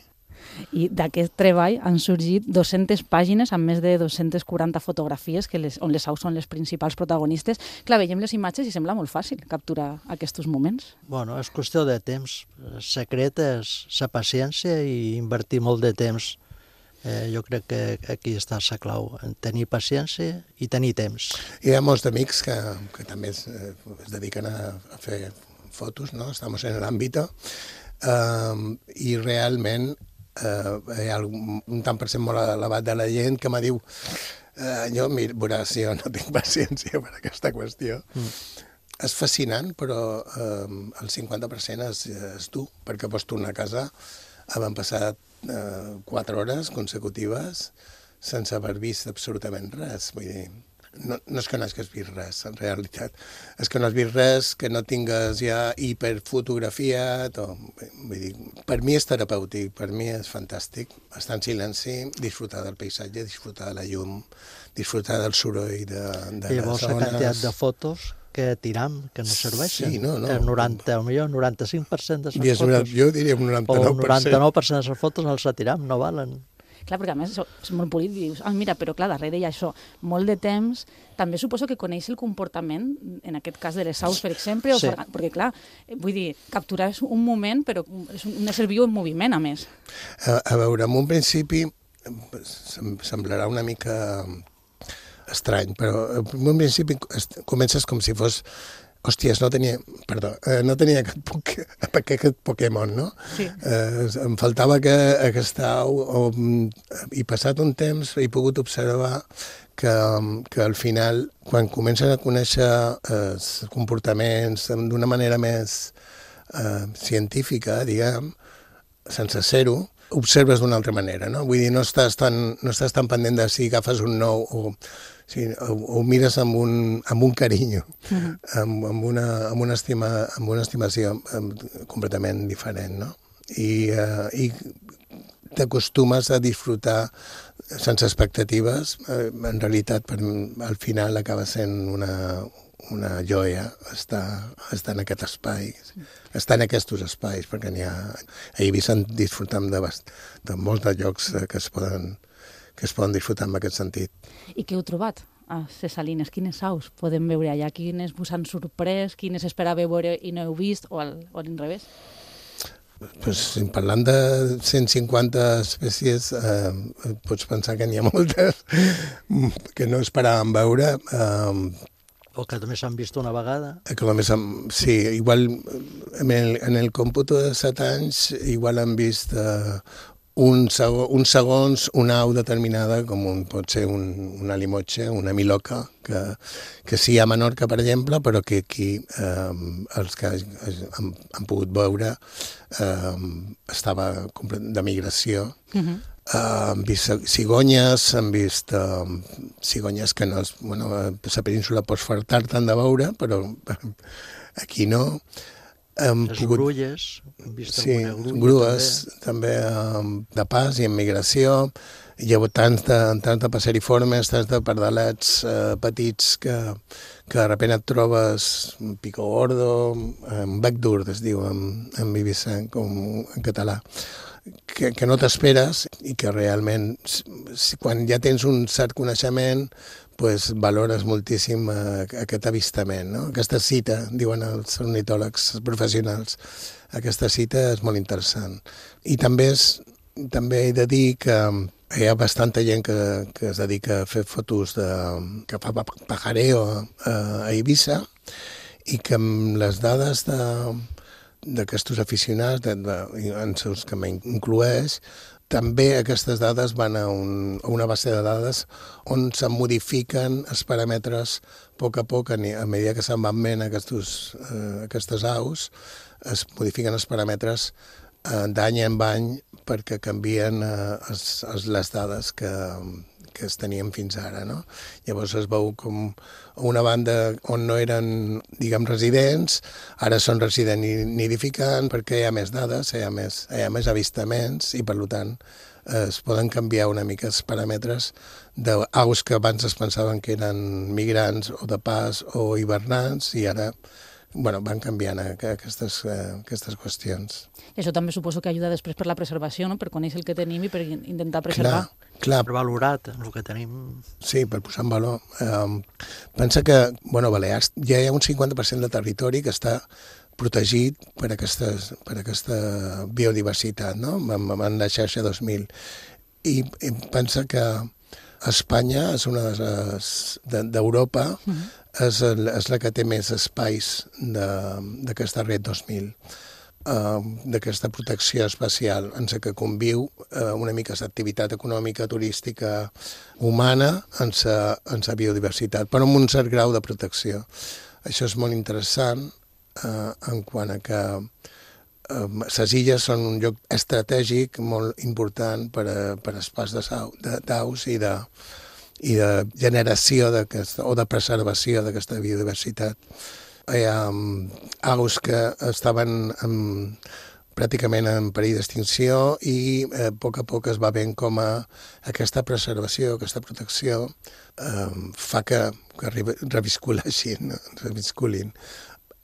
I d'aquest treball han sorgit dues-centes pàgines amb més de dos-centes quaranta fotografies que les, on les aus són les principals protagonistes. Clar, veiem les imatges i sembla molt fàcil capturar aquests moments. Bueno, és qüestió de temps. El secret és la paciència i invertir molt de temps Eh, jo crec que aquí està la clau, tenir paciència i tenir temps. Hi ha molts amics que, que també es, eh, es dediquen a, a fer fotos, no? Estamos en l'àmbit eh, i realment eh, hi ha un tant per cent molt elevat de la gent que me diu eh, jo, mira, veuràs, jo no tinc paciència per aquesta qüestió. Mm. És fascinant, però eh, el cinquanta per cent és, és tu, perquè pots tornar a casa, havent passat eh, quatre hores consecutives sense haver vist absolutament res. Vull dir, no, no és que no hagis vist res, en realitat. És que no has vist res, que no tingues ja hiperfotografiat. O, vull dir, per mi és terapèutic, per mi és fantàstic. Estar en silenci, disfrutar del paisatge, disfrutar de la llum, disfrutar del soroll de, de I les llavors zones. la quantitat de fotos que tiram, que no serveixen. Sí, no, no. El noranta, o millor, noranta-cinc per cent de les I és fotos. Una, jo diria un noranta-nou per cent. O el noranta-nou per cent de les fotos els retiram, no valen. Clar, perquè a més és molt polit, dius, ah, mira, però clar, darrere hi ha això, molt de temps, també suposo que coneix el comportament, en aquest cas de les aus, per exemple, Sí. o, perquè clar, vull dir, capturar és un moment, però és un ésser viu en moviment, a més. A, a veure, en un principi sem semblarà una mica estrany, però en un principi comences com si fos hòsties, no tenia, perdó, eh, no tenia aquest, poke, aquest Pokémon, no? Sí. Eh, em faltava que aquesta au, o, i passat un temps he pogut observar que, que al final, quan comencen a conèixer eh, comportaments d'una manera més eh, científica, diguem, sense ser-ho, observes d'una altra manera, no? Vull dir, no estàs tan, no estàs tan pendent de si agafes un nou o, sí, o, o mires amb un, amb un carinyo, uh-huh. amb, amb, una, amb, una estima, amb una estimació amb, completament diferent, no? I, uh, i t'acostumes a disfrutar sense expectatives. Eh, en realitat, per, al final acaba sent una, una joia estar, estar en aquest espai, estar en aquests espais, perquè n'hi ha... A Eivissa en disfrutam de, bast... de molts de llocs que es poden que es poden disfrutar en aquest sentit. I què heu trobat a les Salines? Quines aus podem veure allà? Quines vos han sorprès? Quines esperàveu veure i no heu vist? O al, o a l'inrevés? Pues, parlant de cent cinquanta espècies, eh, pots pensar que n'hi ha moltes que no esperàvem veure. Eh, o que només s'han vist una vegada. Que només han, sí, igual en el, en el còmputo de set anys igual han vist eh, un segon, uns segons una au determinada, com un, pot ser un, una limotxa, una miloca, que, que sí a Menorca, per exemple, però que aquí eh, els que han, han pogut veure eh, estava de migració. Uh-huh. Uh, han vist cigonyes, han vist uh, cigonyes que no... És, bueno, a la península pots fartar-te'n de veure, però aquí no. Hem les pogut... grulles, hem vist sí, alguna grulla grues, també, també um, de pas i en migració. Hi ha hagut tants de, tants de passeriformes, tants de pardalets eh, petits que, que de repente et trobes un pico gordo, un bec dur, es diu en, en Eivissa, com en català, que, que no t'esperes i que realment, si, quan ja tens un cert coneixement, pues, valores moltíssim eh, aquest avistament, no? Aquesta cita, diuen els ornitòlegs professionals, aquesta cita és molt interessant. I també, és, també he de dir que hi ha bastanta gent que, que es dedica a fer fotos de, que fa pajareo a, a Eivissa i que amb les dades de d'aquests aficionats, de, de, en els que m'incloeix, també aquestes dades van a, un, a una base de dades on se modifiquen els paràmetres a poc a poc, a, a mesura que se'n van veient aquestos, eh, aquestes aus, es modifiquen els paràmetres eh, d'any en any perquè canvien eh, es, es, les dades que, que es tenien fins ara, no? Llavors es veu com una banda on no eren, diguem, residents, ara són residents nidificants perquè hi ha més dades, hi ha més, hi ha més avistaments i, per tant, es poden canviar una mica els paràmetres d'aus que abans es pensaven que eren migrants o de pas o hivernants i ara bueno, van canviant aquestes, aquestes qüestions. I això també suposo que ajuda després per la preservació, no? Per conèixer el que tenim i per intentar preservar. Clar, clar. Per valorat el que tenim. Sí, per posar en valor. Um, pensa que, bueno, a Balears ja hi ha un cinquanta per cent de territori que està protegit per, aquestes, per aquesta biodiversitat, no? Amb, amb la xarxa dos mil. i, i pensa que Espanya és una de les d'Europa, mm-hmm. és, és la que té més espais d'aquesta red dos mil. Uh, d'aquesta protecció espacial en la que conviu uh, una mica l'activitat econòmica, turística, humana en la en la biodiversitat, però amb un cert grau de protecció. Això és molt interessant uh, en quant a que les uh, illes són un lloc estratègic molt important per a, per a pas d'aus i de, i de generació o de preservació d'aquesta biodiversitat. Hi ha um, aus que estaven en, pràcticament en perill d'extinció i eh, a poc a poc es va veient com a aquesta preservació, aquesta protecció eh, fa que, que revisculeixin, revisculin.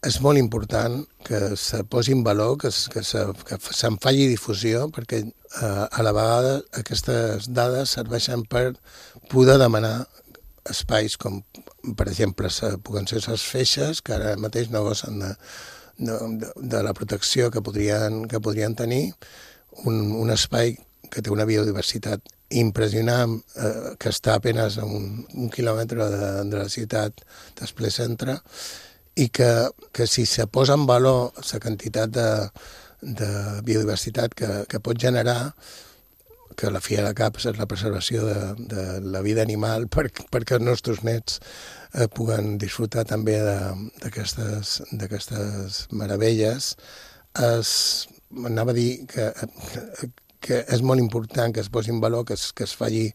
És molt important que se posi en valor, que, que, se, que se'n faci difusió, perquè eh, a la vegada aquestes dades serveixen per poder demanar espais com, per exemple, puguen ser les feixes, que ara mateix no gocen de, de, de la protecció que podrien, que podrien tenir, un, un espai que té una biodiversitat impressionant, eh, que està apenas a un, un quilòmetre de, de la ciutat d'Esplé Centre, i que, que si se posa en valor la quantitat de, de biodiversitat que, que pot generar, que la fi de cap és la preservació de, de la vida animal per, perquè els nostres nets eh, puguen disfrutar també d'aquestes d'aquestes meravelles. Es, anava a dir que, que és molt important que es posi en valor, que es, que es, faci,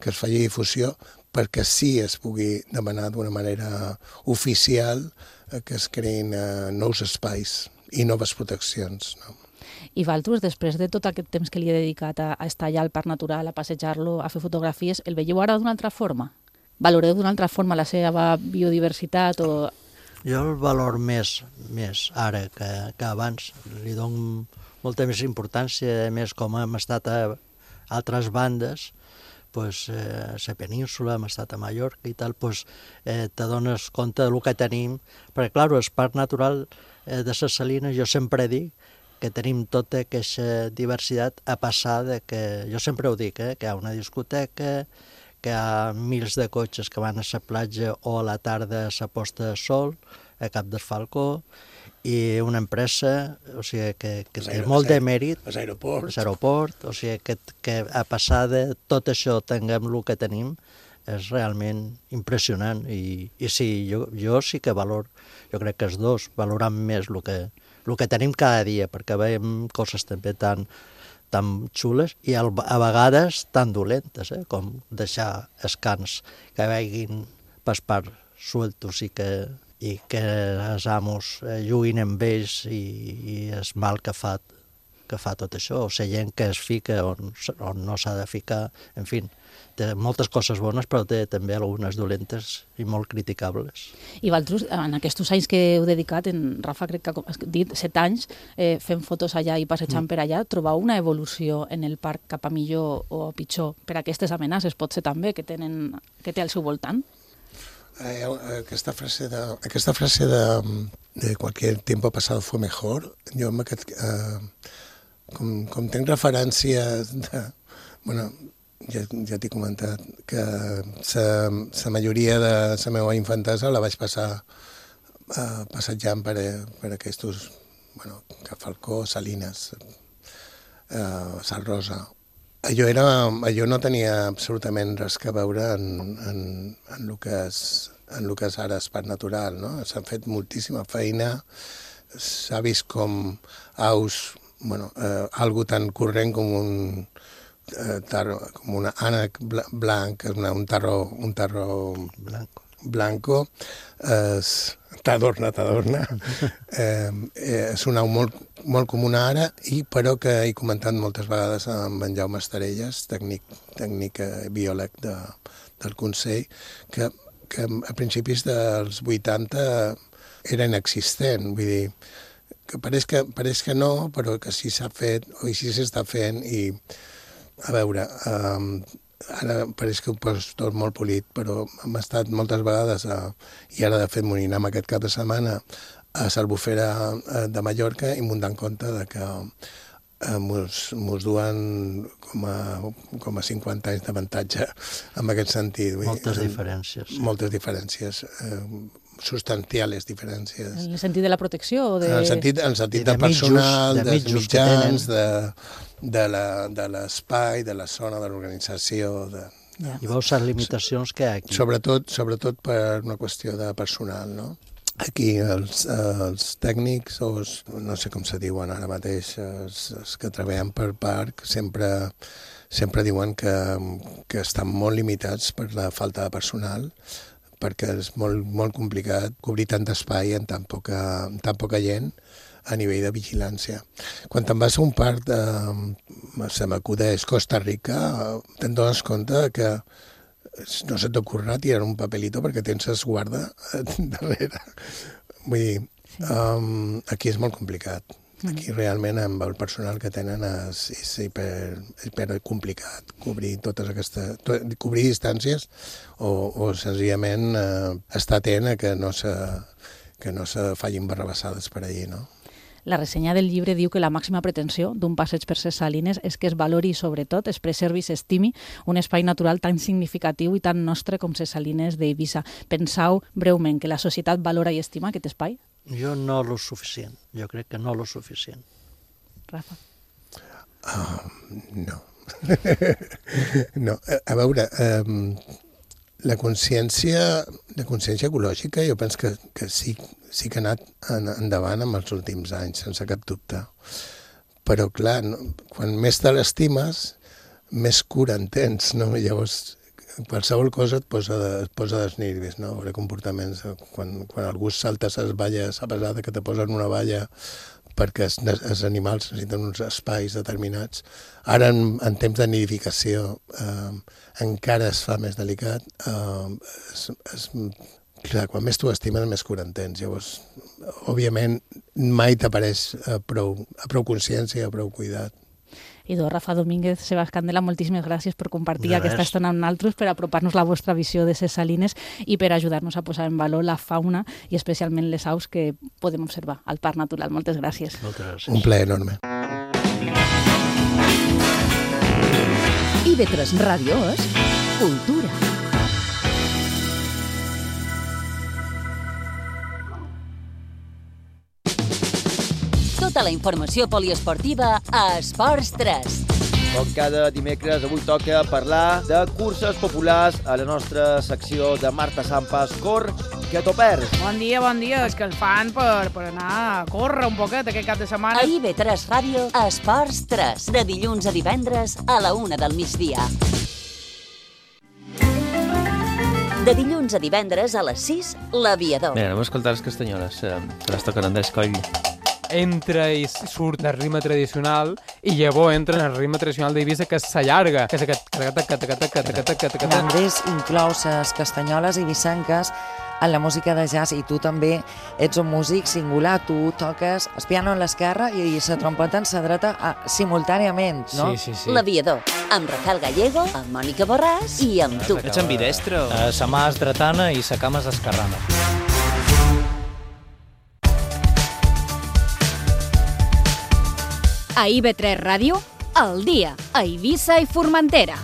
que es faci difusió, perquè sí es pugui demanar d'una manera oficial eh, que es creïn eh, nous espais i noves proteccions, no? I Valtros, després de tot aquest temps que li he dedicat a, a estar allà al Parc Natural, a passejar-lo, a fer fotografies, el veieu ara d'una altra forma? Valoreu d'una altra forma la seva biodiversitat? O... Jo el valor més, més ara que, que abans. Li dono molta més importància, més com hem estat a altres bandes, pues, eh, a la península, hem estat a Mallorca i tal, pues, eh, te dones compte del que tenim. Perquè, clar, el Parc Natural eh, de les Salines, jo sempre dic que tenim tota aquesta diversitat a passar de que, jo sempre ho dic, eh, que hi ha una discoteca, que hi ha mils de cotxes que van a la platja o a la tarda a la posta de sol, a Cap del Falcó, i una empresa, o sigui, que, que té molt de mèrit, els aeroports, aeroport, o sigui, que, que a passar de tot això tinguem el que tenim, és realment impressionant. I, i sí, jo, jo sí que valor, jo crec que els dos valoram més el que, el que tenim cada dia, perquè veiem coses també tan, tan xules i a vegades tan dolentes, eh? Com deixar els cans que vagin per part sueltos i que, i que els amos eh, juguin amb ells i, i és mal que fa, que fa tot això, o la gent que es fica on, on no s'ha de ficar, en fi. Té moltes coses bones, però té també algunes dolentes i molt criticables. I Valtros, en aquests anys que heu dedicat, en Rafa crec que ha dit set anys, eh, fent fotos allà i passejant mm. per allà, trobau una evolució en el parc cap a millor o pitjor per aquestes amenaces, pot ser també, que, tenen, que té al seu voltant? Eh, aquesta frase de, aquesta frase de, de cualquier tiempo pasado fue mejor, jo amb aquest, eh, com, com tenc referències de, bueno, ja, ja t'he comentat que la majoria de la meva infantesa la vaig passar eh, passejant per, per aquests, bueno, Cap Falcó, Salines, eh, Sal Rosa. Allò, era, allò no tenia absolutament res que veure en, en, en, el que és, en el que és ara el Parc Natural, no? S'ha fet moltíssima feina, s'ha vist com aus, bueno, eh, algo tan corrent com un eh, tarro, com una ànec blanc, una, un tarro, un tarro blanco, blanco és, t'adorna, t'adorna. eh, eh, és una au molt, molt comuna ara, i però que he comentat moltes vegades amb en Jaume Estarelles, tècnic, tècnic eh, biòleg de, del Consell, que, que a principis dels vuitanta era inexistent, vull dir, que pareix que, pareix que no, però que sí s'ha fet, o sí s'està fent, i a veure, eh, ara pareix que ho poso tot molt polit, però hem estat moltes vegades, a, i ara de fet m'ho anirem aquest cap de setmana, a l'Albufera de Mallorca, i m'ho dan compte de que eh, mos, mos duen com a, com a cinquanta anys d'avantatge en aquest sentit. Vull moltes dir, diferències. Sí. Moltes diferències, eh, substancials diferències. En el sentit de la protecció? O de... En el sentit, en el sentit de del personal, mitjos, de dels mitjos mitjans, de, de, la, de l'espai, de la zona, de l'organització. De, de... I veus les limitacions que hi ha aquí. Sobretot, sobretot per una qüestió de personal, no? Aquí els, els tècnics, o els, no sé com se diuen ara mateix, els, els que treballen per parc, sempre, sempre diuen que, que estan molt limitats per la falta de personal, perquè és molt, molt complicat cobrir tant d'espai en tan poca, en tan poca gent a nivell de vigilància. Quan te'n vas a un parc, de, se m'acudeix Costa Rica, te'n dones compte que no se t'ocorrerà tirar un papelito perquè tens esguarda darrere. Vull dir, um, aquí és molt complicat. Aquí realment amb el personal que tenen és, és hiper, hiper complicat cobrir totes aquestes, to, cobrir distàncies o, o senzillament eh, estar atent a que no se, que no se fallin barrabassades per allí, no? La ressenya del llibre diu que la màxima pretensió d'un passeig per ses Salines és que es valori i, sobretot, es preservi i s'estimi un espai natural tan significatiu i tan nostre com ses Salines d'Eivissa. Pensau breument que la societat valora i estima aquest espai? Jo no lo suficient. Jo crec que no lo suficient. Rafa? Uh, no. no. A veure, um, la consciència, la consciència ecològica jo penso que, que sí, sí que ha anat endavant en els últims anys, sense cap dubte. Però, clar, no, quan més te l'estimes, més cura en tens, no? Llavors, qualsevol cosa et posa, de, et posa dels nervis, no? Veure comportaments, quan, quan algú salta les valles, a pesar de que te posen una valla perquè els, els animals necessiten uns espais determinats. Ara, en, en temps de nidificació, eh, encara es fa més delicat. Eh, es, es, clar, quan més tu estimes, més cura en tens. Llavors, òbviament, mai t'apareix a prou, a prou consciència, a prou cuidat. Idò, Rafa Domínguez, Sebas Candela, moltíssimes gràcies per compartir De aquesta res. estona amb nosaltres, per apropar-nos la vostra visió de ses Salines i per ajudar-nos a posar en valor la fauna i especialment les aus que podem observar al Parc Natural. Moltes gràcies. Moltes gràcies. Un plaer enorme. I ve tres Ràdio és cultura. Tota la informació poliesportiva a Esports tres. Com cada dimecres, avui toca parlar de curses populars a la nostra secció de Marta Sampas. Cor, que t'ho perds. Bon dia, bon dia. És que el fan per, per anar a córrer un poquet aquest cap de setmana. A I V tres Ràdio, Esports tres, de dilluns a divendres a la una del migdia. De dilluns a divendres a les sis, l'Aviador. Bé, anem a escoltar les castanyoles, eh, que les toquen Andrés Coll. Entra i surt el ritme tradicional i llavors entra en el ritme tradicional d'Eivissa, que s'allarga, que és aquest... Andrés inclou les castanyoles i vissanques en la música de jazz i tu també ets un músic singular, tu toques el piano en l'esquerra i la trompeta en la dreta simultàniament, no? Sí, sí, sí. L'Aviador, amb Rafael Gallego, amb Mònica Borràs i amb tu. Ets ambidestre? O... Uh, sa mà és dretana i sa cama és esquerrana. A I V tres Ràdio, al dia, a Eivissa i Formentera.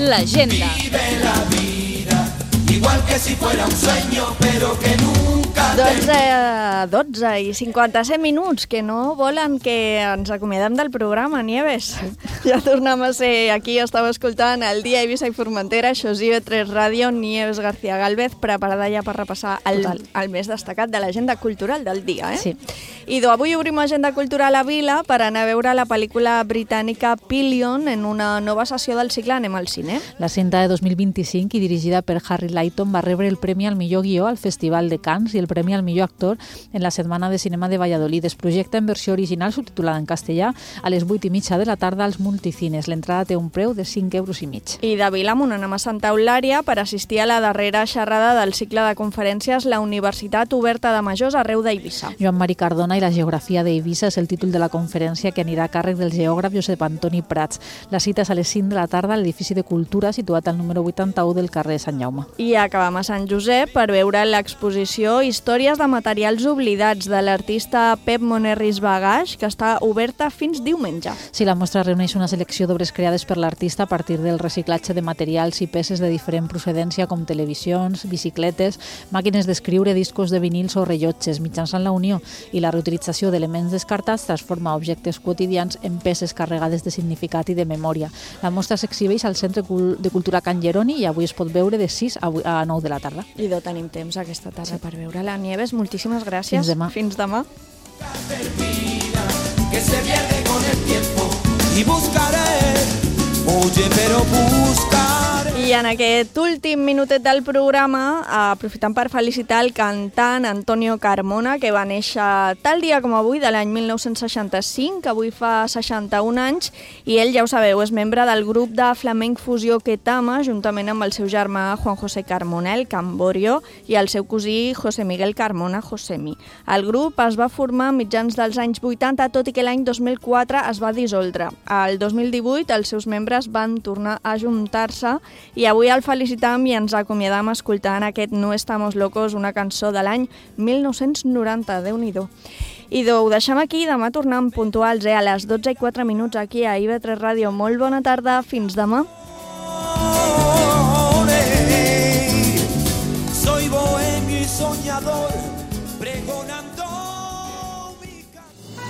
L'agenda. Vive la vida, igual que si fuera un sueño, pero que nunca... dotze, dotze i cinquanta-set minuts, que no volen que ens acomiadem del programa, Nieves. Ja tornem a ser aquí, estava escoltant el dia a Eivissa i Formentera, això és I V tres Ràdio, Nieves García Gálvez, preparada ja per repassar el, el més destacat de l'agenda cultural del dia. Eh? Sí. I avui obrim agenda cultural a Vila per anar a veure la pel·lícula britànica Pillion en una nova sessió del cicle Anem al cine. La cinta de dos mil vint-i-cinc i dirigida per Harry Lighton va rebre el Premi al millor guió al Festival de Cannes i el Premi al millor actor en la Setmana de Cinema de Valladolid. Es projecta en versió original subtitulada en castellà a les vuit i mitja de la tarda als multicines. L'entrada té un preu de cinc euros i mig. I de Vilamunt anem a Santa Eulària per assistir a la darrera xerrada del cicle de conferències La Universitat Oberta de Majors arreu d'Eivissa. Joan Mari Cardona i la geografia d'Eivissa és el títol de la conferència que anirà a càrrec del geògraf Josep Antoni Prats. La cita és a les cinc de la tarda a l'edifici de Cultura situat al número vuitanta-u del carrer Sant Jaume. I acabam a Sant Josep per veure l'exposició Històries de materials oblidats de l'artista Pep Monerris Bagaix, que està oberta fins diumenge. Sí, la mostra reuneix una selecció d'obres creades per l'artista a partir del reciclatge de materials i peces de diferent procedència com televisions, bicicletes, màquines d'escriure, discos de vinils o rellotges. Mitjançant la unió i la reutilització d'elements descartats transforma objectes quotidians en peces carregades de significat i de memòria. La mostra s'exhibeix al Centre de Cultura Can Geroni i avui es pot veure de sis a nou de la tarda. I no tenim temps aquesta tarda sí. per veure-la. Nieves, moltíssimes gràcies. Fins demà. Fins demà. Que se pierde con el tiempo y buscaré, oye, pero buscaré. I en aquest últim minutet del programa, aprofitant per felicitar el cantant Antonio Carmona, que va néixer tal dia com avui, de l'any mil nou-cents seixanta-cinc, que avui fa seixanta-un anys, i ell, ja ho sabeu, és membre del grup de flamenc fusió Ketama, juntament amb el seu germà Juan José Carmona, el Camborio, i el seu cosí José Miguel Carmona, Josemi. El grup es va formar a mitjans dels anys vuitanta, tot i que l'any dos mil quatre es va dissoldre. El dos mil divuit els seus membres van tornar a juntar-se i avui el felicitam i ens acomiadam escoltant aquest No Estamos Locos, una cançó de l'any mil nou-cents noranta, Déu-n'hi-do. I ho deixem aquí, demà tornem puntuals, eh, a les dotze i quatre minuts aquí a I V tres Ràdio. Molt bona tarda, fins demà. Soy bohemio y soñador, pregonando